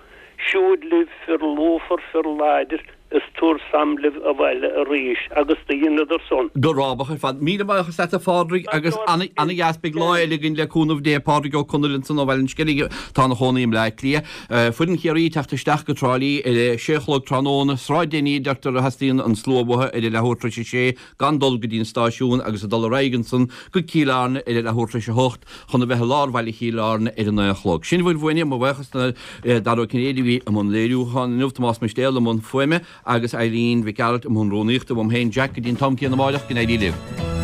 Speaker 12: siúd libh fir lúfar fir láidir is tabhair sam libh abhaile arís agus do dheineadar san.
Speaker 2: Go rábach ar fad. Míle buíochas leat a Phádraig agus ana-dheas. Beidh lá eile againn le cúnamh Dé. Pádraig Ó Conaill ansan ó Bhaile an Sceilg atá ina chónaí i mBleá Cliath. Foireann Chiarraí ag teacht isteach go Trá Lí ar a sé a chlog tráthnóna. Sráid Deiní a deirtear a theastaíonn an slua uathu ar a leathuair tar éis a sé gan dul go dtí an stáisiún agus a dul ar aghaidh ansan go Cill Airne ar a leathuair tar éis a hocht chun a bheith i lár bhaile Chill Airne ar a naoi a chlog. Sin a bhfuil uainne. Mo bhuíochas do Dara Ó Cinnéide a bhí i mbun léiriúcháin inniu, Tomás Mistéal i mbun fuaime agus Eileen Mhic Gearailt i mbun rúnaíochta. Uaim féin Jack go dtí an t-am céanna amáireach, go n-éirí libh.